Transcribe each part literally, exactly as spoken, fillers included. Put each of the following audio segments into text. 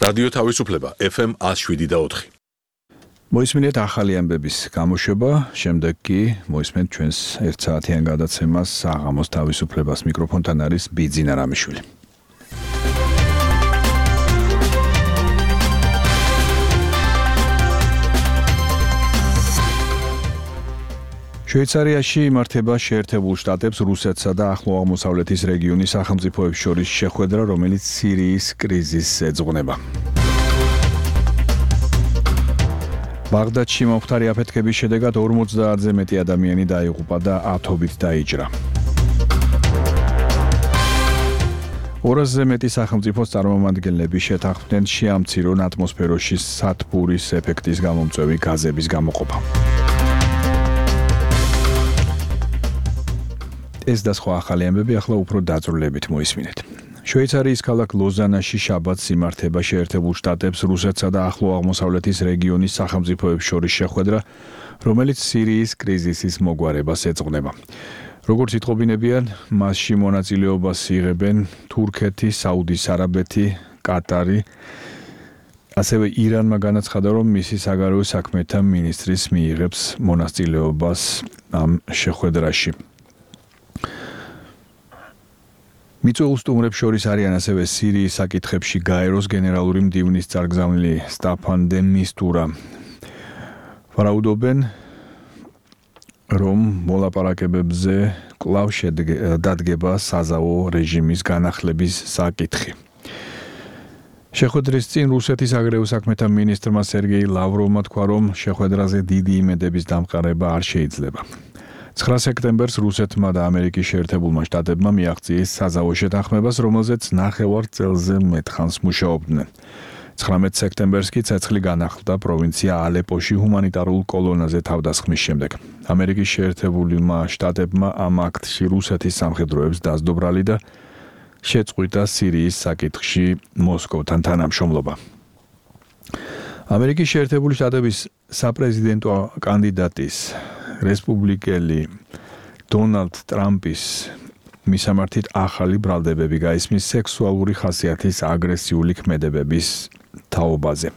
რადიო თავისუფლება ეფ ემ one oh seven და four. მოისმინეთ ახალი ამბების გამოშვება, შემდეგ კი მოისმენთ ჩვენს ერთ საათიან გადაცემას საღამოს თავისუფლებას. მიკროფონთან არის ბიძინა რამიშვილი. შვეიცარიაში იმართება შეერთებულ შტატებს, რუსეთსა და ახლო აღმოსავლეთის რეგიონის სახელმწიფოებს შორის შეხვედრა, რომელიც სირიის კრიზისს ეძღვნება. ბაღდადში მომხდარი აფეთქების შედეგად ორმოცდაათზე მეტი ადამიანი დაიღუპა და ათობით დაიჭრა. ორასზე მეტი სახელმწიფოს წარმომადგენლები შეთანხმდნენ შეამცირონ ატმოსფეროში სათბურის ეფექტის გამომწვევი გაზების გამოყოფა. ეს და სხვა ახალი ამბები ახლა უფრო დაწვრილებით მოისმინეთ. შვეიცარიის ქალაქ ლოზანაში შაბათს იმართება შეერთებულ შტატებს, რუსეთსა და ახლო აღმოსავლეთის რეგიონის სახელმწიფოებს შორის შეხვედრა, რომელიც სირიის კრიზისის მოგვარებას ეძღვნება. როგორც იტყობინებიან, მასში მონაწილეობას იღებენ თურქეთი, საუდის არაბეთი, კატარი. ასევე ირანმა განაცხადა, რომ მისი საგარეო საქმეთა მინისტრის მიიღებს მონაწილეობას ამ შეხვედრაში. მიწვეულ სტუმრებს შორის არიან ასევე სირიის საკითხებში გაეროს გენერალური მდივნის წარგზავნილი სტაფან დე მისტურა. ვარაუდობენ, რომ მოლაპარაკებებზე კვლავ დადგება საზავო რეჟიმის განახლების საკითხი. შეხვედრის წინ რუსეთის საგარეო საქმეთა მინისტრმა სერგეი ლავროვმა თქვა, რომ შეხვედრაზე დიდი იმედების დამყარება არ შეიძლება. ცხრა სექტემბერს რუსეთმა და ამერიკის შეერთებულმა შტატებმა მიაღწიეს საზავო შეთანხმებას, რომელზეც ნახევარ წელზე მეტხანს მუშაობდნენ. ცხრამეტ სექტემბერს კი ცეცხლი განახლდა პროვინცია ალეპოში ჰუმანიტარულ კოლონაზე თავდასხმის შემდეგ. ამერიკის შეერთებულმა შტატებმა ამ აქტში რუსეთის სამხედროებს დაძდობრალი და შეწყვიტა სირიის საკითხში მოსკოვთან თანამშრომლობა. ამერიკის შეერთებული შტატების საპრეზიდენტო კანდიდატის რესპუბლიკელი დონალდ ტრამპის მისამართით ახალი ბრალდებები გაისმის სექსუალური ხასიათის აგრესიული ქმედებების თაობაზე.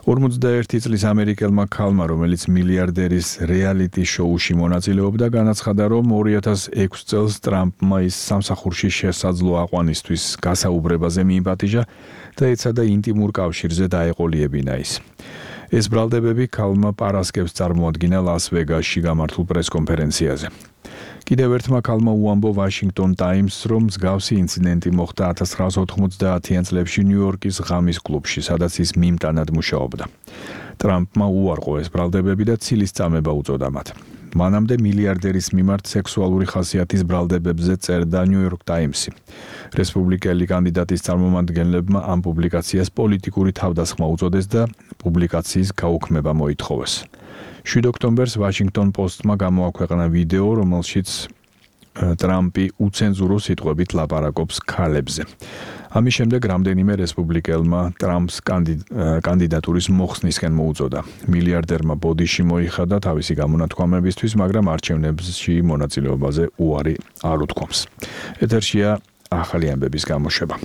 ორმოცდაერთი წლის ამერიკელმა ქალმა, რომელიც მილიარდერის რეალიტი შოუში მონაწილეობდა, განაცხადა, რომ ორი ათას ექვსი წელს ტრამპმა ის სამსახურში შესაძლო აყვანისთვის გასაუბრებაზე მიიპატიჟა და ეცადა ინტიმურ კავშირზე დაეყოლიებინა ის. ეს ბრალდებები ქალმა პარასკევს წარმოადგინა ლას-ვეგასში გამართულ პრესკონფერენციაზე. კიდევ ერთმა ქალმა უამბო ვაშინგტონ ტაიმსს, რომ მსგავსი ინციდენტი მოხდა ათას ცხრაას ოთხმოცდაათიან წლებში ნიუ-იორკის ღამის კლუბში, სადაც ის მიმტანად მუშაობდა. ტრამპმა უარყო ეს ბრალდებები და ცილის წამება უწოდა მათ. მანამდე მილიარდერის მიმართ სექსუალური ხასიათის ბრალდებებზე წერდა ნიუ-იორკ ტაიმსი. რესპუბლიკელი კანდიდატის წარმომადგენლებმა ამ პუბლიკაციას პოლიტიკური თავდასხმა უწოდეს და პუბლიკაციის გაუქმება მოითხოვეს. შვიდ ოქტომბერს ვაშინგტონ პოსტმა გამოაქვეყნა ვიდეო, რომელშიც ტრამპი უცენზურო სიტყვებით ლაპარაკობს ქალებზე. ამის შემდეგ რამდენიმე რესპუბლიკელმა ტრამპს კანდიდატურის მოხსნისკენ მოუწოდა. მილიარდერმა ბოდიში მოიხადა თავისი გამონათქვამებისთვის, მაგრამ არჩევნებში მონაწილეობაზე უარი არ უთქვამს. ეთერშია ახალი ამბების გამოშვება.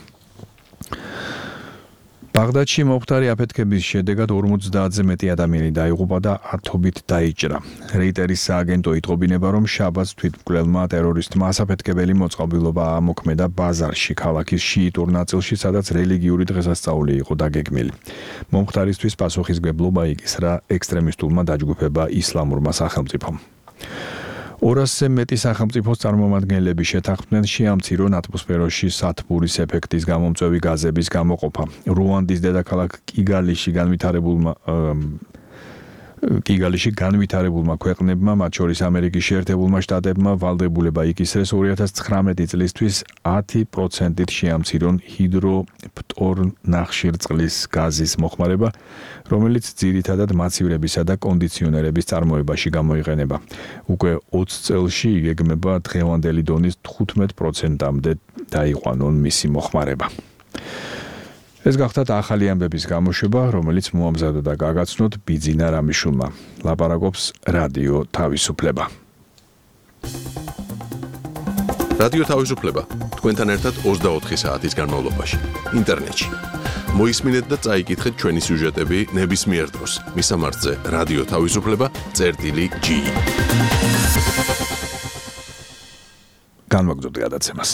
ბაღდადში მომხდარი აფეთქების შედეგად ორმოცდაათზე მეტი ადამიანი დაიღუპა და ათობით დაიჭრა. რეიტერის სააგენტო იტყობინება, რომ შაბათს თვითმკვლელმა ტერორისტმა ასაფეთქებელი მოწყობილობა ამოქმედა ბაზარში, ქალაქის შიიტურ ნაწილში, სადაც რელიგიური დღესასწაული იყო დაგეგმილი. მომხდარისთვის პასუხისმგებლობა იკისრა ექსტრემისტულმა დაჯგუფება ისლამურმა სახელმწიფომ. ორასზე მეტი სახელმწიფოს წარმომადგენლები შეთანხმდნენ შეამცირონ ატმოსფეროში სათბურის ეფექტის გამომწვევი გაზების გამოყოფა. რუანდის დედაქალაქ კიგალიში განვითარებულმა კიგალიში განვითარებულმა ქვეყნებმა, მათ შორის ამერიკის შეერთებულმა შტატებმა, ვალდებულება იკისრეს ორი ათას ცხრამეტი წლისთვის ათი პროცენტით შეამცირონ ჰიდროფტორნახშირწყლის გაზის მოხმარება, რომელიც ძირითადად მაცივრებისა და კონდიციონერების წარმოებაში გამოიყენება. უკვე ოცი წელში იგეგმება დღევანდელი დონის თხუთმეტ პროცენტამდე დაიყვანონ მისი მოხმარება. ეს გახდათ ახალი ამბების გამოშვება, რომელიც მოამზადა და გაგაცნოთ ბიძინა რამიშვილმა. ლაპარაკობს რადიო თავისუფლება. რადიო თავისუფლება თქვენთან ერთად ოცდაოთხი საათის განმავლობაში ინტერნეტში მოისმინეთ და წაიკითხეთ ჩვენი სიუჟეტები ნებისმიერ დროს. მისამართზე რადიო თავისუფლება წერტილი G. განვაგრძობთ გადაცემას.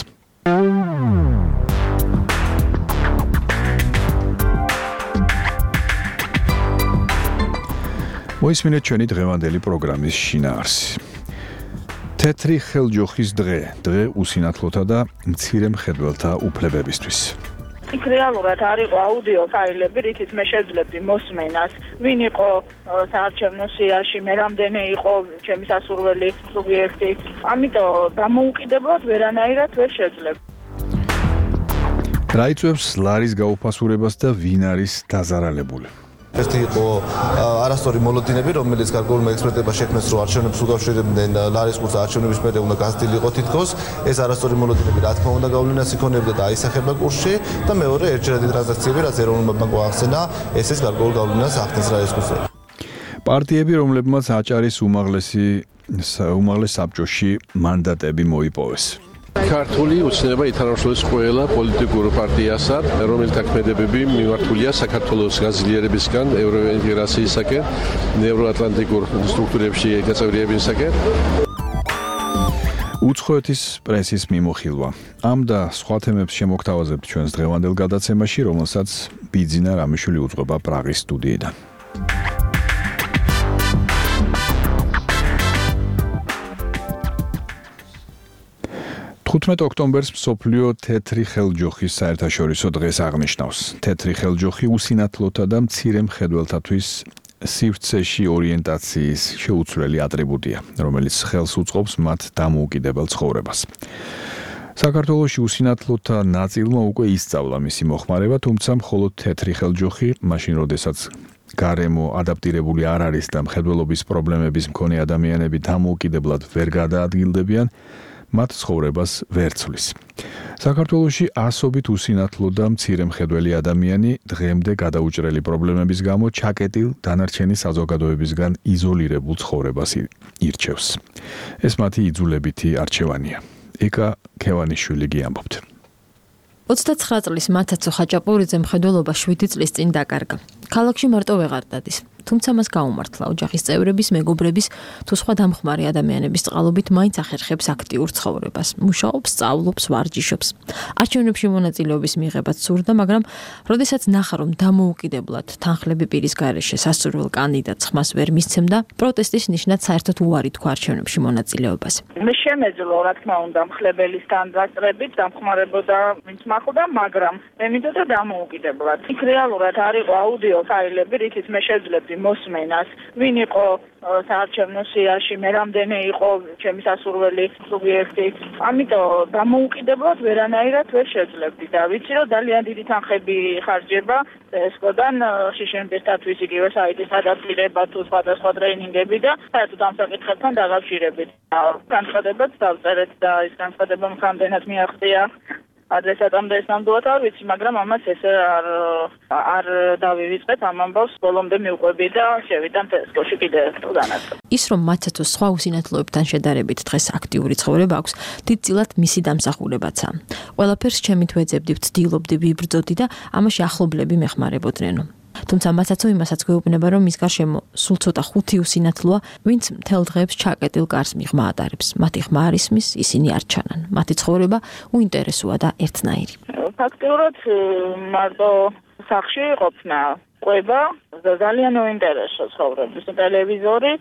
მოისმინეთ ჩვენი დღევანდელი პროგრამის შინაარსი. თეთრი ხელჯოხის დღე, დღე უსინათლოთა და მცირე მხედველთა უფლებებისთვის. იქ რეალურად არ იყო აუდიო ფაილები, რითიც მე შეძლებდი მოსმენას, ვინ იყო საარჩევნო სიაში, მე რამდენი იყო ჩემი სასურველი სუბიექტი. ამიტომ დამოუკიდებლად ვერანაირად ვერ შეძლებდი. რა იწვევს ლარის გაუფასურებას და ვინ არის დაზარალებული? ერთი იყო არასწორი მოლოდინები, რომელიც გარკვეულმა ექსპერტებმა შექმნეს, რომ არჩევნებს უკავშირებდნენ ლარის კურსს არჩევნების მერე უნდა გაზრდილიყო თითქოს. ეს არასწორი მოლოდინები რა თქმა უნდა გავლენას იქონებდა და აისახება კურსში და მეორე ერთჯერადი ტრანზაქციები, რაც ეროვნულმა ბანკმა აღხსნა, ესეც გარკვეულ გავლენას ახდენს ლარის კურსზე. პარტიები, რომლებმაც აჭარის უმაღლესი უმაღლეს საბჭოში მანდატები მოიპოვეს. ქართული უცნობა ითანამშრომლებს ყველა პოლიტიკურ პარტიასა, რომელთა ქმედებები მიმართულია საქართველოს გაზრდილებისგან, ევროინტეგრაციისაკენ, ევროატლანტიკურ სტრუქტურებში გაწევრიებისაკენ. უცხოეთის პრესის მიმოხილვა. ამ და სხვა თემებს შემოგთავაზებთ ჩვენს დღევანდელ გადაცემაში, რომელსაც ბიძინა რამიშვილი უძღვება პრაღის სტუდიიდან. თხუთმეტ ოქტომბერს მსოფლიო თეთრი ხელჯოხის საერთაშორისო დღეს აღნიშნავს. თეთრი ხელჯოხი უსინათლოთა და მცირე მხედველთათვის სივრცეში ორიენტაციის შეუცვლელი ატრიბუტია, რომელიც ხელს უწყობს მათ დამოუკიდებელ ცხოვრებას. საქართველოში უსინათლოთა ნაწილმა უკვე ისწავლა მისი მოხმარება, თუმცა მხოლოდ თეთრი ხელჯოხი, მაშინ როდესაც გარემო ადაპტირებული არ არის და მხედველობის პრობლემების მქონე ადამიანები დამოუკიდებლად ვერ გადაადგილდებიან, მათ ცხოვრებას ვერ ცვლის. საქართველოში ასობით უსინათლო და მცირე მხედველი ადამიანი დღემდე გადაუჭრელი პრობლემების გამო ჩაკეტილ დანარჩენი საზოგადოებისგან იზოლირებულ ცხოვრებას ირჩევს. ეს მათი იძულებითი არჩევანია. ეკა ქევანიშვილი გიამბობთ. ოცდაცხრა წლის მათაცო ხაჭაპურიძე მხედველობა შვიდი წლის წინ დაკარგა. ქალაქში მარტო ვეღარ დადის. თუმცა მას გაუმართლა ოჯახის წევრების, მეგობრების თუ სხვა დამხმარე ადამიანების წყალობით მაინც ახერხებს აქტიურ ცხოვრებას. მუშაობს, სწავლობს, ვარჯიშობს. არჩევნებში მონაწილეობის მიღებაც სურდა, მაგრამ როდესაც ნახა, რომ დამოუკიდებლად თანხლები პირის გარეშე სასურველ კანდიდატს ხმას ვერ მისცემდა, პროტესტის ნიშნად საერთოდ უარი თქვა არჩევნებში მონაწილეობას. მე შემეძლო, რა თქმა უნდა, მხლებელი სტანდარტებით დამხმარებოდა ვინც მახლდა, მაგრამ მე მინდოდა დამოუკიდებლად. იქ რეალურად არ იყო აუდიო ფაილები, რითიც მე შეძლებდი მოსმენას, ვინ იყო საარჩევნო სიაში, მე რამდენი იყო ჩემი სასურველი სუბიექტი. ამიტომ დამოუკიდებლად ვერანაირად ვერ შეძლებდი და ვიცი, რომ ძალიან დიდი თანხები ხარჯება ესკოდან შიშენბესთვის იგივე საიტის ადაპტირება თუ სხვადასხვა ტრეინინგები და საერთოდ ამ საკითხებთან დაკავშირებით. განცხადებაც დავწერეთ და ეს განცხადება რამდენად მიაღწია ადრესატამდე ეს ნამდვილად არ ვიცი, მაგრამ ამას ესე არ არ დავივიწყეთ ამ ამბავს, ბოლომდე მივყვები და შევიდან ტესკოში კიდე ერთხელ განაცხადი. ის რომ მათაცოს სხვა უსინათლოებთან შედარებით დღეს აქტიური ცხოვრება აქვს, დიდწილად მისი დამსახურებაცაა. ყველაფერს ჩემით ვეძებდი, ვცდილობდი, ვიბრძოდი და ამაში ახლობლები მეხმარებოდნენო. თუმცა მათაცო იმასაც გვეუბნება, რომ მის გარშემო სულ ცოტა ხუთი უსინათლოა, ვინც მთელ დღეებს ჩაკეტილ კარს მიღმა ატარებს. მათი ხმა არ ისმის, ისინი არ ჩანან. მათი ცხოვრება უინტერესოა და ერთნაირი. ფაქტიურად მარტო სახში ყოფნა, ყვება ძალიან უინტერესო ცხოვრების. ტელევიზორი,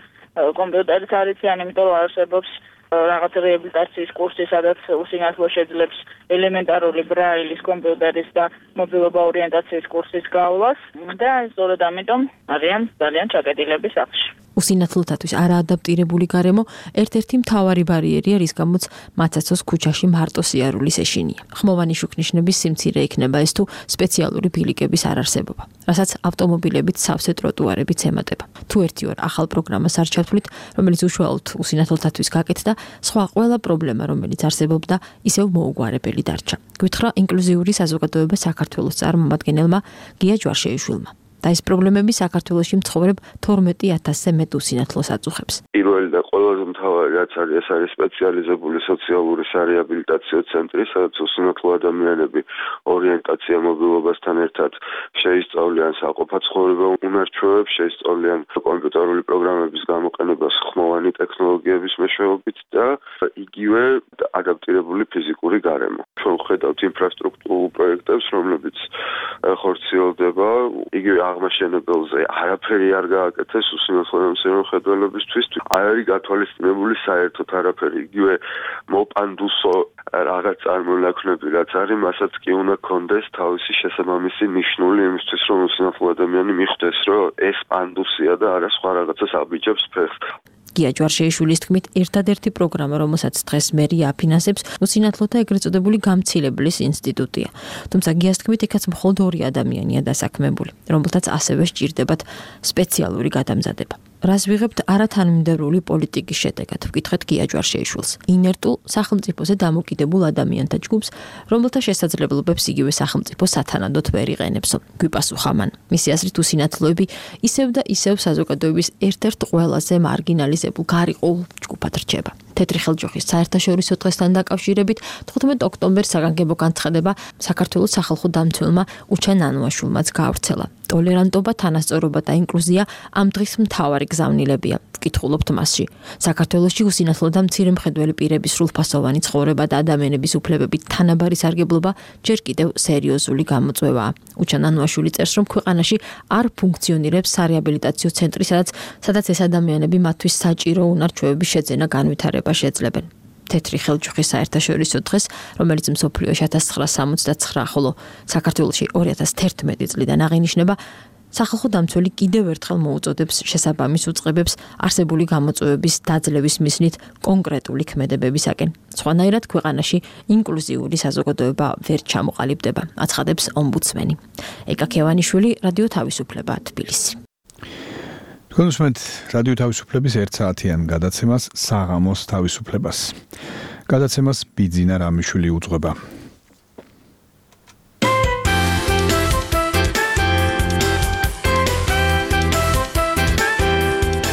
კომპიუტერიც არ იციან, იმიტომ რომ არსებობს რაღაც რეაბილიტაციის კურსი, სადაც უსინათლო შეძლებს ელემენტარული ბრაილის, კომპიუტერის და მობილობა ორიენტაციის კურსის გავლას და სწორედ ამიტომ არიან ძალიან ჩაკეტილები სახში. უსინათლოთათვის არაადაპტირებული გარემო ერთ-ერთი მთავარი ბარიერია, რის გამოც მათაცოს ქუჩაში მარტო სიარულის ეშინია. ხმოვანი შუქნიშნების სიმცირე იქნება ეს თუ სპეციალური ბილიკების არარსებობა, რასაც ავტომობილებით სავსე ტროტუარებიც ემატება. თუ ერთი ორ ახალ პროგრამას არ ჩათვლით, რომელიც უშუალოდ უსინათლოთათვის გაკეთდა, სხვა ყველა პრობლემა, რომელიც არსებობდა, ისევ მოუგვარებელი დარჩა. გვითხრა ინკლუზიური საზოგადოება საქართველოს წარმომადგენელმა გია ჯვარშეიშვილმა. და ეს პრობლემები საქართველოში მცხოვრებ თორმეტ ათასზე მეტ უსინათლოს აწუხებს. პირველი და ყველაზე მთავარი რაც არის, ეს არის სპეციალიზებული სოციალური სარეაბილიტაციო ცენტრი, სადაც უსინათლო ადამიანები ორიენტაცია მობილობასთან ერთად შეისწავლიან საყოფა ცხოვრება უნარჩვევებს, შეისწავლიან კომპიუტერული პროგრამების გამოყენებას ხმოვანი ტექნოლოგიების მეშვეობით და იგივე ადაპტირებული ფიზიკური გარემო. ჩვენ ვხედავთ ინფრასტრუქტურულ პროექტებს, რომლებიც ხორციელდება იგივე აღმაშენებელზე არაფერი არ გააკეთეს უსინათლო შემოხედველებისთვის, არ არის გათვალისწინებული საერთოდ არაფერი. იგივე მოპანდუსო რაღაც წარმონაქმნები რაც არის, მასაც კი უნდა კონდეს თავისი შესაბამისი ნიშნული იმისთვის, რომ უსინათლო ადამიანი მიხვდეს, რომ ეს პანდუსია და არა სხვა რაღაცას აბიჯებს ფეხს. გია ჯვარშეიშვილის თქმით, ერთადერთი პროგრამა, რომელსაც დღეს მერია აფინანსებს, უსინათლოთა ეგრეთ წოდებული გამცილებლის ინსტიტუტია. თუმცა გიას თქმით, იქაც მხოლოდ ორი ადამიანია დასაქმებული, რომელთაც ასევე სჭირდებათ სპეციალური გადამზადება. რას ვიღებთ არათანმიმდევრული პოლიტიკის შედეგად, ვკითხეთ გია ჯვარშეიშვილს. ინერტულ სახელმწიფოზე დამოკიდებულ ადამიანთა ჯგუფს, რომელთა შესაძლებლობებს იგივე სახელმწიფო სათანადოდ ვერ იყენებსო. გვიპასუხა მან. მისი აზრით უსინათლოები ისევ და ისევ საზოგადოების ერთ-ერთ ყველაზე მარგინალიზებულ გარიყულ ჯგუფად რჩება. თეთრი ხელჯოხის საერთაშორისო დღესთან დაკავშირებით თხუთმეტ ოქტომბერს საგანგებო განცხადება საქართველოს სახალხო დამცველმა უჩა ნანუაშვილმაც გაავრცელა. ტოლერანტობა, თანასწორობა და ინკლუზია ამ დღის მთავარი გზავნილებია. ვკითხულობთ მასში. საქართველოში უსინათლო და მცირე მხედველი პირების სრულფასოვანი ცხოვრება და ადამიანების უფლებებით თანაბარი სარგებლობა ჯერ კიდევ სერიოზული გამოწვევაა. უჩა ნანუაშვილი წერს, რომ ქვეყანაში არ ფუნქციონირებს სარეაბილიტაციო ცენტრი, სადაც სადაც ეს ადამიანები მათთვის საჭირო უნარჩვევების შეძენა განვითარება შეძლებენ. თეთრი ხელჯოხის საერთაშორისო დღეს, რომელიც მსოფლიოში ათას ცხრაასი სამოცდათცხრა, ხოლო საქართველოში ორი ათას თერთმეტი წლიდან აღინიშნება, სახალხო დამცველი კიდევ ერთხელ მოუწოდებს შესაბამის უწყებებს არსებული გამოწვევების დაძლევის მიზნით კონკრეტული ქმედებებისაკენ. სხვანაირად ქვეყანაში ინკლუზიური საზოგადოება ვერ ჩამოყალიბდება, აცხადებს ომბუდსმენი. ეკა ქევანიშვილი, რადიო თავისუფლება, თბილისი. თქვენ უსმენთ რადიო თავისუფლების ერთ საათიან გადაცემას საღამოს თავისუფლებას. გადაცემას ბიძინა რამიშვილი უძღვება.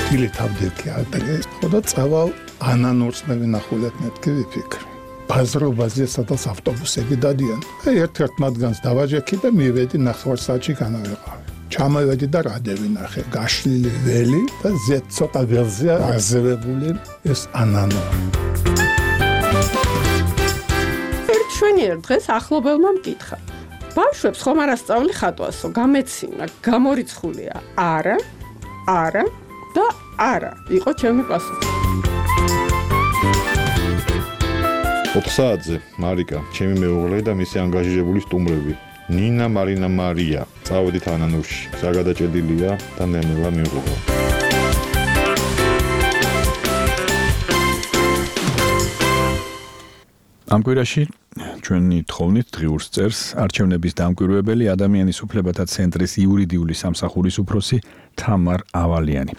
ილი თავდექი ადრეს ხოდა წავალ ანანურს მე ვინახულეთ მეთქი ვიფიქრე. ბაზრობაზე სადაც ავტობუსები დადიან. ერთ-ერთ მათგანს დავაჯექი და მივედი ნახევარ საათში განავეყავი. ჩამოვედი და რადე ვინახე, გაშლილი ველი და ზეთ ცოტა ველზე აზევებული ეს ანანო. ერთ შვენიერ დღეს ახლობელმა მკითხა. ბავშვებს ხომ არ ასწავლი ხატვასო, გამეცინა, გამორიცხულია. არა, არა და არა, იყო ჩემი პასუხი. ოთხსაათზე მარიკა, ჩემი მეუღლე და მისი ანგაჟირებული სტუმრები. ნინა, მარინა, მარია. წავედით ანანურში. საგადაჭედილია და ნენელა მივუღო. ამ კვირაში ჩვენი თხოვნით დღიურს წერს არჩევნების დამკვირვებელი ადამიანის უფლებათა ცენტრის იურიდიული სამსახურის უფროსი თამარ ავალიანი.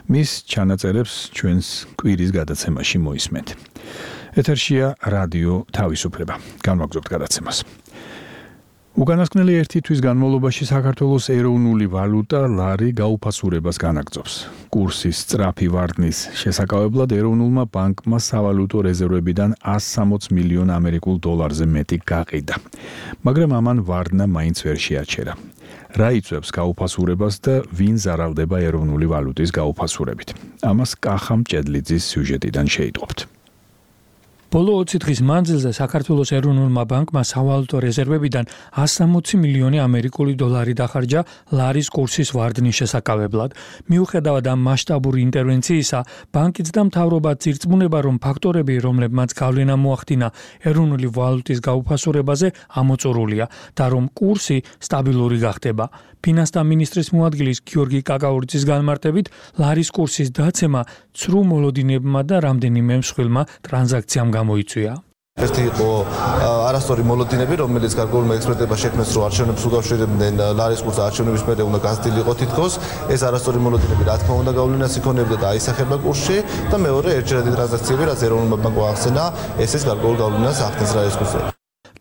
მის ჩანაწერებს ჩვენს კვირის გადაცემაში მოისმენთ. ეთერშია რადიო თავისუფლება. განვაგრძობთ გადაცემას. უკანასკნელი ერთი თვის განმავლობაში საქართველოს ეროვნული ვალუტა ლარი გაუფასურებას განაგრძობს. კურსის სწრაფი ვარდნის შესაკავებლად ეროვნულმა ბანკმა სავალუტო რეზერვებიდან ასი სამოც მილიონ ამერიკულ დოლარზე მეტი გაყიდა. მაგრამ ამან ვარდნა მაინც ვერ შეაჩერა. რა იწვევს გაუფასურებას და ვინ ზარალდება ეროვნული ვალუტის გაუფასურებით? ამას კახა მჭედლიძის სიუჟეტიდან შეიტყობთ. ბოლო ოცი დღის მანძილზე საქართველოს ეროვნულმა ბანკმა სავალუტო რეზერვებიდან ასი სამოცი მილიონი ამერიკული დოლარი დახარჯა ლარის კურსის ვარდნის შესაკავებლად. მიუხედავად ამ მასშტაბური ინტერვენციისა, ბანკიც და მთავრობა ძირწმუნება, რომ ფაქტორები, რომლებმაც გავლენა მოახდინა ეროვნული ვალუტის გაუფასურებაზე, ამოწურულია და რომ კურსი სტაბილური გახდება. ფინანსთა მინისტრის მოადგილის გიორგი კაკაურიძის განმარტებით, ლარის კურსის დაცემა ცრუ მოლოდინებმა და რამდენიმე მსხვილმა ტრანზაქციამ გამოიწვია. ერთი იყო არასწორი მოლოდინები, რომელიც გარკვეულმა ექსპერტებმა შექმნეს, რომ არჩევნებს უკავშირებდნენ ლარის კურსს არჩევნების მერე უნდა გაზრდილი იყო თითქოს. ეს არასწორი მოლოდინები რა თქმა უნდა გავლენას იქონებდა და აისახება კურსში და მეორე ერთჯერადი ტრანზაქციები, რაც ეროვნულმა ბანკმა ახსენა, ესეც გარკვეულ გავლენას ახდენს ლარის კურსზე.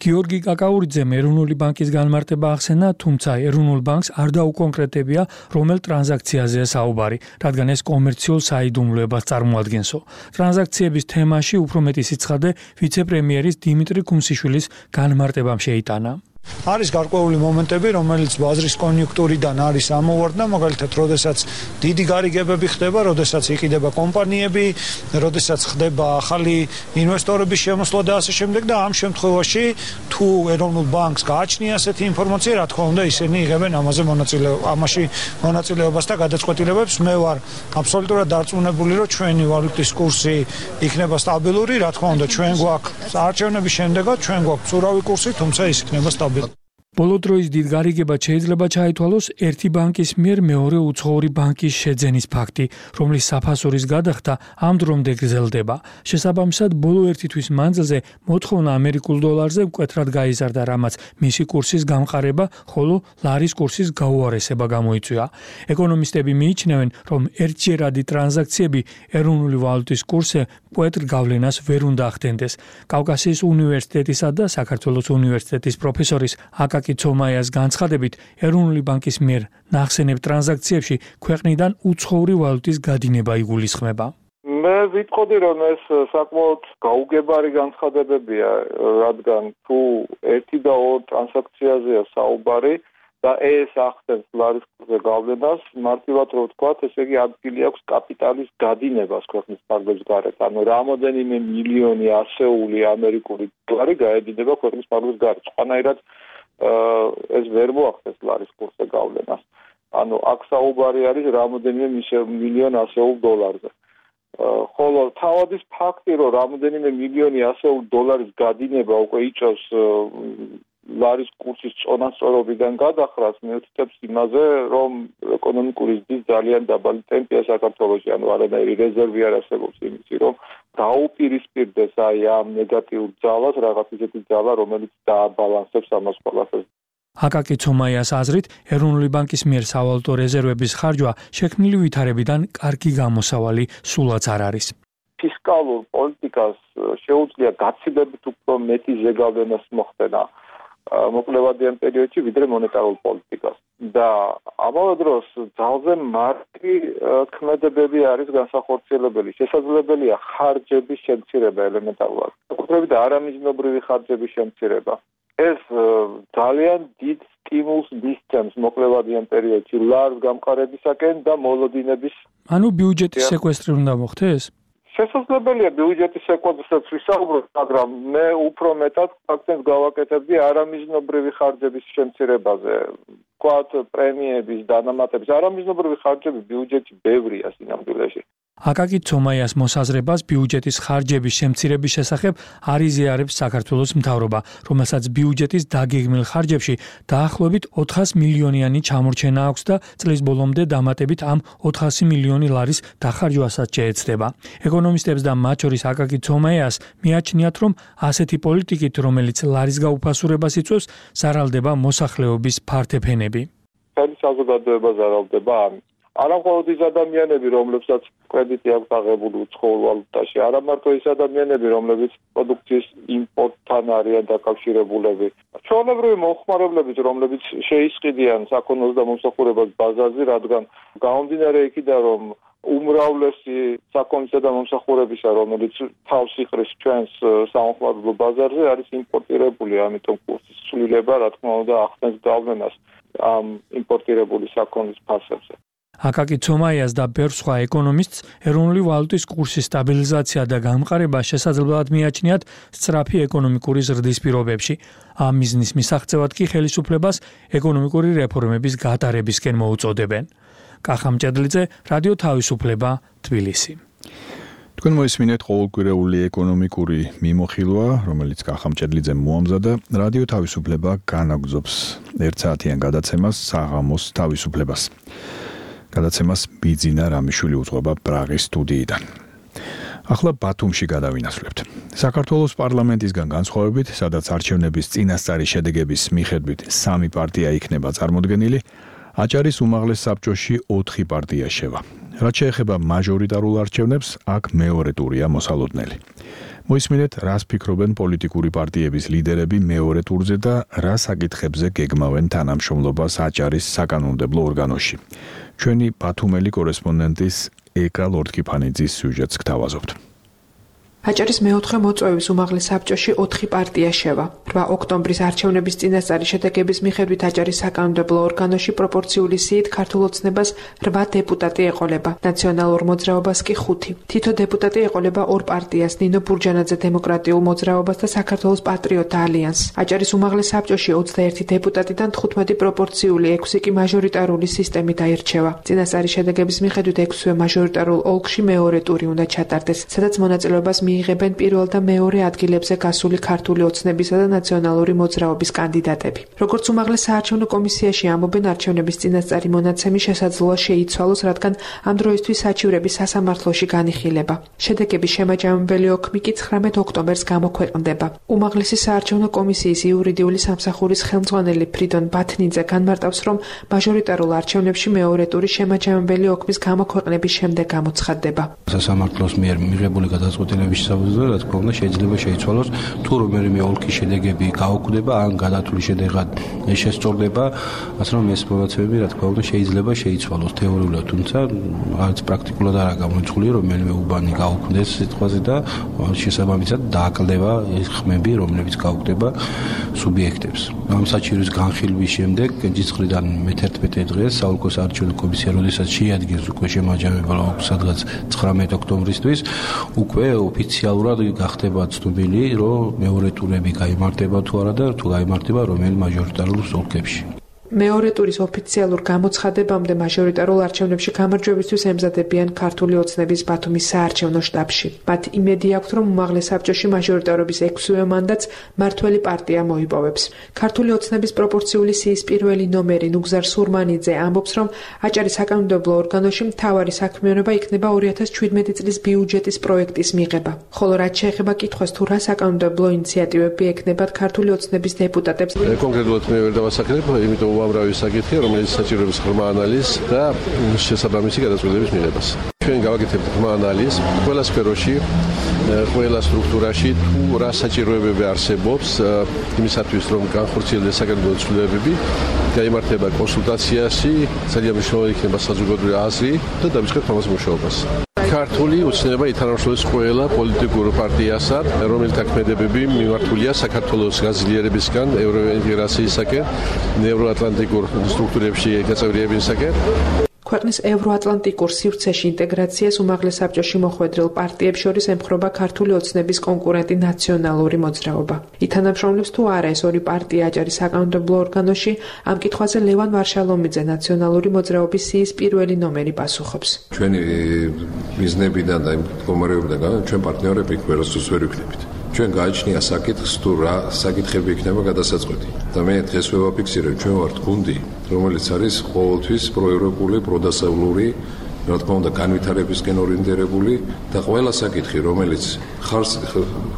გიორგი კაკაურიძემ ეროვნული ბანკის განმარტება ახსენა, თუმცა ეროვნულ ბანკს არ დაუკონკრეტებია, რომელ ტრანზაქციაზეა საუბარი, რადგან ეს კომერციულ საიდუმლოებას წარმოადგენსო. ტრანზაქციების თემაში უფრო მეტი სიცხადე ვიცე-პრემიერის დიმიტრი კუმსიშვილის განმარტებამ შეიტანა. არის გარკვეული მომენტები, რომელიც ბაზრის კონიუნქტურიდან არის ამოვარდნა, მაგალითად, როდესაც დიდი გარიგებები ხდება, როდესაც იყიდება კომპანიები, როდესაც ხდება ახალი ინვესტორების შემოსვლა და ასე შემდეგ და ამ შემთხვევაში თუ ეროვნულ ბანკს გააჩნია ასეთი ინფორმაცია, რა თქმა უნდა, ისინი იღებენ ამაზე მონაწილეობას, ამაში მონაწილეობას და გადაწყვეტილებებს. მე ვარ აბსოლუტურად დარწმუნებული, რომ ჩვენი ვალუტის კურსი იქნება სტაბილური, რა თქმა უნდა, ჩვენ გვაქვს არჩევნების შემდეგაც ჩვენ გვაქვს ურავი კურსი, თუმცა ის იქნება სტაბილური. ბოლო დროის დიდ გარიგებად შეიძლება ჩაითვალოს ერთი ბანკის მიერ მეორე უცხოური ბანკის შეძენის ფაქტი, რომლის საფასურის გადახდა ამ დრომდე გრძელდება. შესაბამისად, ბოლო ერთი თვის მანძილზე მოთხოვნა ამერიკულ დოლარზე მკვეთრად გაიზარდა, რამაც მისი კურსის გამყარება, ხოლო ლარის კურსის გაუარესება გამოიწვია. ეკონომისტები მიიჩნევენ, რომ ერთჯერადი ტრანზაქციები ეროვნული ვალუტის კურსზე მკვეთრ გავლენას ვერ უნდა ახდენდეს. კავკასიის უნივერსიტეტისა და საქართველოს უნივერსიტეტის პროფესორის აკაკი ცომაიას განცხადებით, ეროვნული ბანკის მიერ ნახსენებ ტრანზაქციებში ქვეყნიდან უცხოური ვალუტის გადინება იგულისხმება. მე ვიტყოდი, რომ ეს საკმაოდ გაუგებარი განცხადებებია, რადგან თუ ერთი და ორ ტრანზაქციაზეა საუბარი და ეს ახდენს ლარის კურსზე გავლენას, მარტივად რო ვთქვათ, ესე იგი ადგილი აქვს კაპიტალის გადინებას ქვეყნის ფარგლებს გარეთ. ანუ რამოდენიმე მილიონი ასეული ამერიკული დოლარი გაედინება ქვეყნის ფარგლებს გარეთ. სხვანაირად ეს ვერ მოახდენს ლარის კურსზე გავლენას. ანუ აქ საუბარი არის რამოდენიმე მილიონ ასეულ დოლარზე. ხოლო თავადის ფაქტი, რომ რამოდენიმე მილიონი ასეულ დოლარის გადინება უკვე იწევს ლარის კურსის წონასწორობიდან გადახრას, მიუთითებს იმაზე, რომ ეკონომიკური ზრდის ძალიან დაბალი ტემპია საქართველოში, ანუ არანაირი რეზერვი არ არსებობს იმისი, რომ დაუპირისპირდეს აი ამ ნეგატიურ ძალას რაღაც ისეთი ძალა, რომელიც დააბალანსებს ამას ყველაფერს. აკაკი ცომაიას აზრით, ეროვნული ბანკის მიერ სავალუტო რეზერვების ხარჯვა შექმნილი ვითარებიდან კარგი გამოსავალი სულაც არ არის. ფისკალურ პოლიტიკას შეუძლია გაცილებით უფრო მეტი ზეგავლენას მოხდენა მოკლევადიან პერიოდში, ვიდრე მონეტარულ პოლიტიკას. და ამავე დროს ძალზე მარტივი ქმედებები არის განსახორციელებელი. შესაძლებელია ხარჯების შემცირება ელემენტარულად. საკუთრებით არამიზნობრივი ხარჯების შემცირება. ეს ძალიან დიდ სტიმულს მისცემს მოკლევადიან პერიოდში ლარს გამყარებისაკენ და მოლოდინების. ანუ ბიუჯეტის სეკვესტრი უნდა მოხდეს? შესაძლებელია ბიუჯეტის სეკვესტრსაც ვისაუბროთ, მაგრამ მე უფრო მეტად აქცენტს გავაკეთებდი არამიზნობრივი ხარჯების შემცირებაზე. ვთქვათ, პრემიების, დანამატების, არამიზნობრივი ხარჯები ბიუჯეტში ბევრია სინამდვილეში. აკაკი ცომაიას მოსაზრებას ბიუჯეტის ხარჯების შემცირების შესახებ არ იზიარებს საქართველოს მთავრობა, რომელსაც ბიუჯეტის დაგეგმილ ხარჯებში დაახლოებით ოთხას მილიონიანი ჩამორჩენა აქვს და წლის ბოლომდე დამატებით ამ ოთხასი მილიონი ლარის დახარჯვასაც შეეცდება. ეკონომისტებს და მათ შორის აკაკი ცომაიას მიაჩნიათ, რომ ასეთი პოლიტიკით, რომელიც ლარის გაუფასურებას იწვევს, ზარალდება მოსახლეობის ფართეფენები. მთელი საზოგადოება ზარალდება ამით. არა მხოლოდ ის ადამიანები, რომლებსაც კრედიტი აქვს აღებული უცხოურ ვალუტაში, არა მარტო ის ადამიანები, რომლებიც პროდუქციის იმპორტთან არიან დაკავშირებულები. ჩვეულებრივი მომხმარებლებიც, რომლებიც შეისყიდიან საქონელს და მომსახურებას ბაზარზე, რადგან გამომდინარე იქიდან, რომ უმრავლესი საქონლისა და მომსახურებისა, რომელიც თავს იყრის ჩვენს სამხმარებლო ბაზარზე, არის იმპორტირებული, ამიტომ კურსის ცვლილება, რა თქმა უნდა, ახდენს გავლენას ამ იმპორტირებული საქონლის ფასებზე. აკაკი ცომაიას და ბევრ სხვა ეკონომისტს ეროვნული ვალუტის კურსის სტაბილიზაცია და გამყარება შესაძლებლად მიაჩნიათ სწრაფი ეკონომიკური ზრდის პირობებში. ამ მიზნის მისაღწევად კი ხელისუფლებას ეკონომიკური რეფორმების გატარებისკენ მოუწოდებენ. კახა მჭედლიძე, რადიო თავისუფლება, თბილისი. თქვენ მოისმინეთ ყოველკვირეული ეკონომიკური მიმოხილვა, რომელიც კახა მჭედლიძემ მოამზადა. რადიო თავისუფლება განაგრძობს ერთსაათიან გადაცემას საღამოს თავისუფლებას. გადაცემას ბიძინა რამიშვილი უძღვება პრაღის სტუდიიდან. ახლა ბათუმში გადავინაცვლებთ. საქართველოს პარლამენტისგან განსხვავებით, სადაც არჩევნების წინასწარი შედეგების მიხედვით სამი პარტია იქნება წარმოდგენილი, აჭარის უმაღლეს საბჭოში ოთხი პარტია შევა. რაც შეეხება მაჟორიტარულ არჩევნებს, აქ მეორე ტურია მოსალოდნელი. მოისმინეთ, რას ფიქრობენ პოლიტიკური პარტიების ლიდერები მეორე ტურზე და რა საკითხებზე გეგმავენ თანამშრომლობას აჭარის საკანონმდებლო ორგანოში. ჩვენი ბათუმელი კორესპონდენტის ეკა ლორდკიფანიძის სიუჟეტს გთავაზობთ. აჭარის მეოთხე მოწვევის უმაღლეს საბჭოში ოთხი პარტია შევა. რვა ოქტომბრის არჩევნების წინასწარი შედეგების მიხედვით აჭარის საკანონმდებლო ორგანოში პროპორციული სიით ქართულ ოცნებას რვა დეპუტატი ეყოლება, ნაციონალურ მოძრაობას კი ხუთი. თითო დეპუტატი ეყოლება ორ პარტიას, ნინო ბურჯანაძე დემოკრატიულ მოძრაობას და საქართველოს პატრიოტთა ალიანსს. აჭარის უმაღლეს საბჭოში ოცდაერთი დეპუტატიდან თხუთმეტი პროპორციული, ექვსი კი მაჟორიტარული სისტემით აირჩევა. წინასწარი შედეგების მიხედვით ექვსივე მაჟორიტარულ ოლქში მეორე ტური უნდა ჩატარდეს, სადაც მონაწილეობას მიიღებენ პირველ და მეორე ადგილებზე გასული ქართული ოცნებისა და ნაციონალური მოძრაობის კანდიდატები. როგორც უმაღლეს საარჩევნო კომისიაში ამბობენ, არჩევნების წინასწარი მონაცემი შესაძლოა შეიცვალოს, რადგან ამ დროისთვის საჩივრები სასამართლოში განიხილება. შედეგების შემაჯამებელი ოქმი კი ცხრამეტ ოქტომბერს გამოქვეყნდება. უმაღლესი საარჩევნო კომისიის იურიდიული სამსახურის ხელმძღვანელი ფრიდონ ბათნიძე განმარტავს, რომ მაჟორიტარულ არჩევნებში მეორე ტური შემაჯამებელი ოქმის გამოქვეყნების შემდეგ გამოცხადდება. სასამართლოს მიერ მიღებული გადაწყვეტილების შესაბამისად, რა თქმა უნდა, შეიძლება შეიცვალოს თუ რომელიმე ოლქის შედეგები გაუქმდება, ან გადათვლილი შედეგად შესწორდება, ასე რომ ეს მონაცემები, რა თქმა უნდა, შეიძლება შეიცვალოს თეორიულად, თუმცა არც პრაქტიკულად არ გამოიჩხულია, რომ რომელიმე უბანი გაუქმდეს სიტყვაზე და შესაბამისად დააკლდება ეს ხმები, რომლებიც გაუქმდება სუბიექტებს. ამ საჩივრის განხილვის შემდეგ ჯიცხლიდან მეთერთმეტე დღეს საოლქო საარჩევნო კომისია, როდესაც შეადგენს უკვე შემაჯამებელ ოლქს, სადღაც ცხრამეტ ოქტომბრისთვის, უკვე ოფიციალურად გახდება ცნობილი, რომ მეორე ტურები გაიმართება თუ არა და თუ გაიმართება რომელ მაჟორიტარულ ოლქებში. მეორე ტურის ოფიციალურ გამოცხადებამდე მაჟორიტარულ არჩევნებში გამარჯვებისთვის ემზადებიან ქართული ოცნების ბათუმის საარჩევნო შტაბში. მათ იმედი აქვთ, რომ უმაღლეს საბჭოში მაჟორიტარობის ექვსივე მანდატს მართველი პარტია მოიპოვებს. ქართული ოცნების პროპორციული სიის პირველი ნომერი ნუგზარ სურმანიძე ამბობს, რომ აჭარის საკანონმდებლო ორგანოში მთავარი საქმიანობა იქნება ორი ათას ჩვიდმეტი წლის ბიუჯეტის პროექტის მიღება. ხოლო რაც შეეხება კითხვას, თუ რა საკანონმდებლო ინიციატივები ექნებათ ქართული ოცნების დეპუტატებს, კონკრეტულად მე ვერ დავასახელებ, იმიტომ უამრავი საკითხია, რომელიც საჭიროებს ღრმა ანალიზს და შესაბამისი გადაწყვეტილების მიღებას. ჩვენ გავაკეთებთ ღრმა ანალიზს ყველა სფეროში, ყველა სტრუქტურაში, თუ რა საჭიროებები არსებობს იმისათვის, რომ განხორციელდეს საკანონმდებლო ცვლილებები, გაიმართება კონსულტაციაში, ძალიან მნიშვნელოვანი იქნება საზოგადოებრივი აზრი და დავიწყებთ ამას მუშაობას. ქართული ოცნება ითანამშრომლებს ყველა პოლიტიკურ პარტიასთან, რომელთა ქმედებები მიმართულია საქართველოს გაზრდილებისგან, ევროინტეგრაციისაკენ, ევროატლანტიკურ სტრუქტურებში გაწევრიებისაკენ. ქვეყნის ევროატლანტიკურ სივრცეში ინტეგრაციას უმაღლეს საბჭოში მოხვედრილ პარტიებს შორის ემხრობა ქართული ოცნების კონკურენტი ნაციონალური მოძრაობა. ითანამშრომლებს თუ არა ეს ორი პარტია აჭარის საკანონმდებლო ორგანოში, ამ კითხვაზე ლევან ვარშალომიძე ნაციონალური მოძრაობის სიის პირველი ნომერი პასუხობს. ჩვენი მიზნებიდან და მდგომარეობიდან ჩვენ პარტნიორები ყველასთვის ვერ ვიქნებით. ჩვენ გააჩნია საკითხს თუ რა საკითხები იქნება გადასაწყვეტი. და მე დღეს ვაფიქსირებ, ჩვენ ვართ გუნდი, რომელიც არის ყოველთვის პროევროპული, პროდასავლური, რა თქმა უნდა, განვითარებისკენ ორიენტირებული და ყველა საკითხი, რომელიც ხარს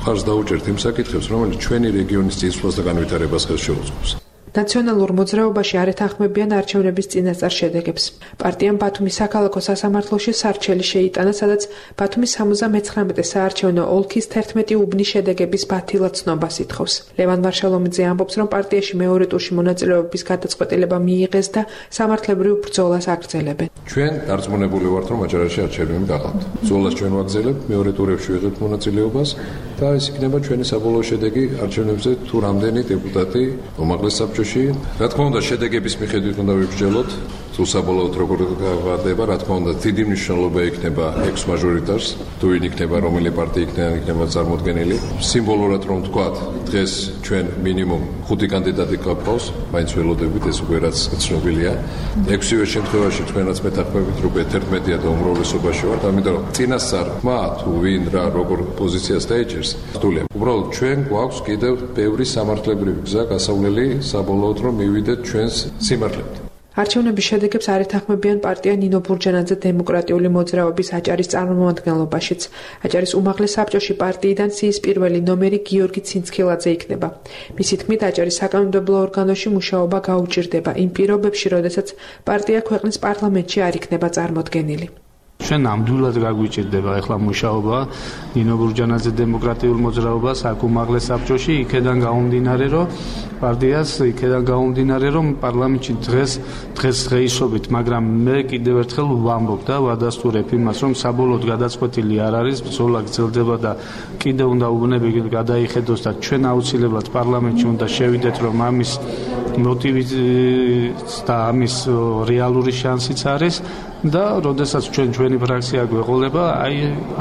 ხარს დაუჭერთ იმ საკითხებს, რომელიც ჩვენი რეგიონის წინსვლას და განვითარებას ხელს შეუწყობს. ნაციონალურ მოძრაობაში არ ეთანხმებიან არჩევნების წინასწარ შედეგებს. პარტიამ ბათუმის საქალაქო სასამართლოში სარჩელი შეიტანა, სადაც ბათუმის სამოცდამეცხრამეტე საარჩევნო ოლქის თერთმეტი უბნის შედეგების ბათილად ცნობას ითხოვს. ლევან ვარშალომიძე ამბობს, რომ პარტიაში მეორე ტურში მონაწილეობის გადაწყვეტილება მიიღეს და სამართლებრივ ბრძოლას აგრძელებენ. ჩვენ დარწმუნებული ვართ, რომ აჭარაში არჩევნები გახავთ. ბრძოლას ჩვენ ვაგრძელებთ, მეორე ტურებში ვიღებთ მონაწილეობას და ეს იქნება ჩვენი საბოლოო შედეგი არჩევნებზე, თუ რამდენი დეპუტატი უმაღლეს საბჭოში. რა თქმა უნდა, შედეგების მიხედვით უნდა ვიბრძოლოთ, თუ საბოლოოდ როგორ გავარდება, რა თქმა უნდა, დიდი მნიშვნელობა იქნება ექვს მაჟორიტარს, თუ ვინ იქნება, რომელი პარტია იქნება, იქნება წარმოდგენილი. სიმბოლურად რომ ვთქვათ, დღეს ჩვენ მინიმუმ ხუთი კანდიდატი გყავს, მაინც ველოდებით, ეს უკვე რაც ცნობილია. ექვსივე შემთხვევაში თქვენაც მეთანხმებით, რომ თერთმეტია და უმრავლესობაში ვართ, ამიტომ რომ წინასწარ ხმა თუ ვინ რა როგორ პოზიციას დაეჭერს, რთულია. უბრალოდ ჩვენ გვაქვს კიდევ ბევრი სამართლებრივი გზა გასავლელი, საბოლოოდ რომ მივიდეთ ჩვენს სიმართლემდე. არჩევნების შედეგებს არ ეთანხმებიან პარტია ნინო ბურჯანაძე დემოკრატიული მოძრაობის აჭარის წარმომადგენლობაშიც. აჭარის უმაღლეს საბჭოში პარტიიდან სიის პირველი ნომერი გიორგი ცინცქილაძე იქნება. მისი თქმით, აჭარის საკანონმდებლო ორგანოში მუშაობა გაუჭირდება იმ პირობებში, როდესაც პარტია ქვეყნის პარლამენტში არ იქნება წარმოდგენილი. ჩვენ ნამდვილად გაგვიჭირდება ახლა მუშაობა ნინო ბურჯანაძე დემოკრატიულ მოძრაობას აქ უმაღლეს საბჭოში, იქედან გამომდინარე, რომ პარტიას იქედან გამომდინარე, რომ პარლამენტში დღეს დღეს დღეისობით, მაგრამ მე კიდევ ერთხელ ვამბობ და ვადასტურებ იმას, რომ საბოლოოდ გადაწყვეტილი არ არის, ბრძოლა გრძელდება და კიდევ უნდა უბნები გადაიხედოს და ჩვენ აუცილებლად პარლამენტში უნდა შევიდეთ, რომ ამის მოტივიც და ამის რეალური შანსიც არის და როდესაც ჩვენ ჩვენი ფრაქცია გვეყოლება, აი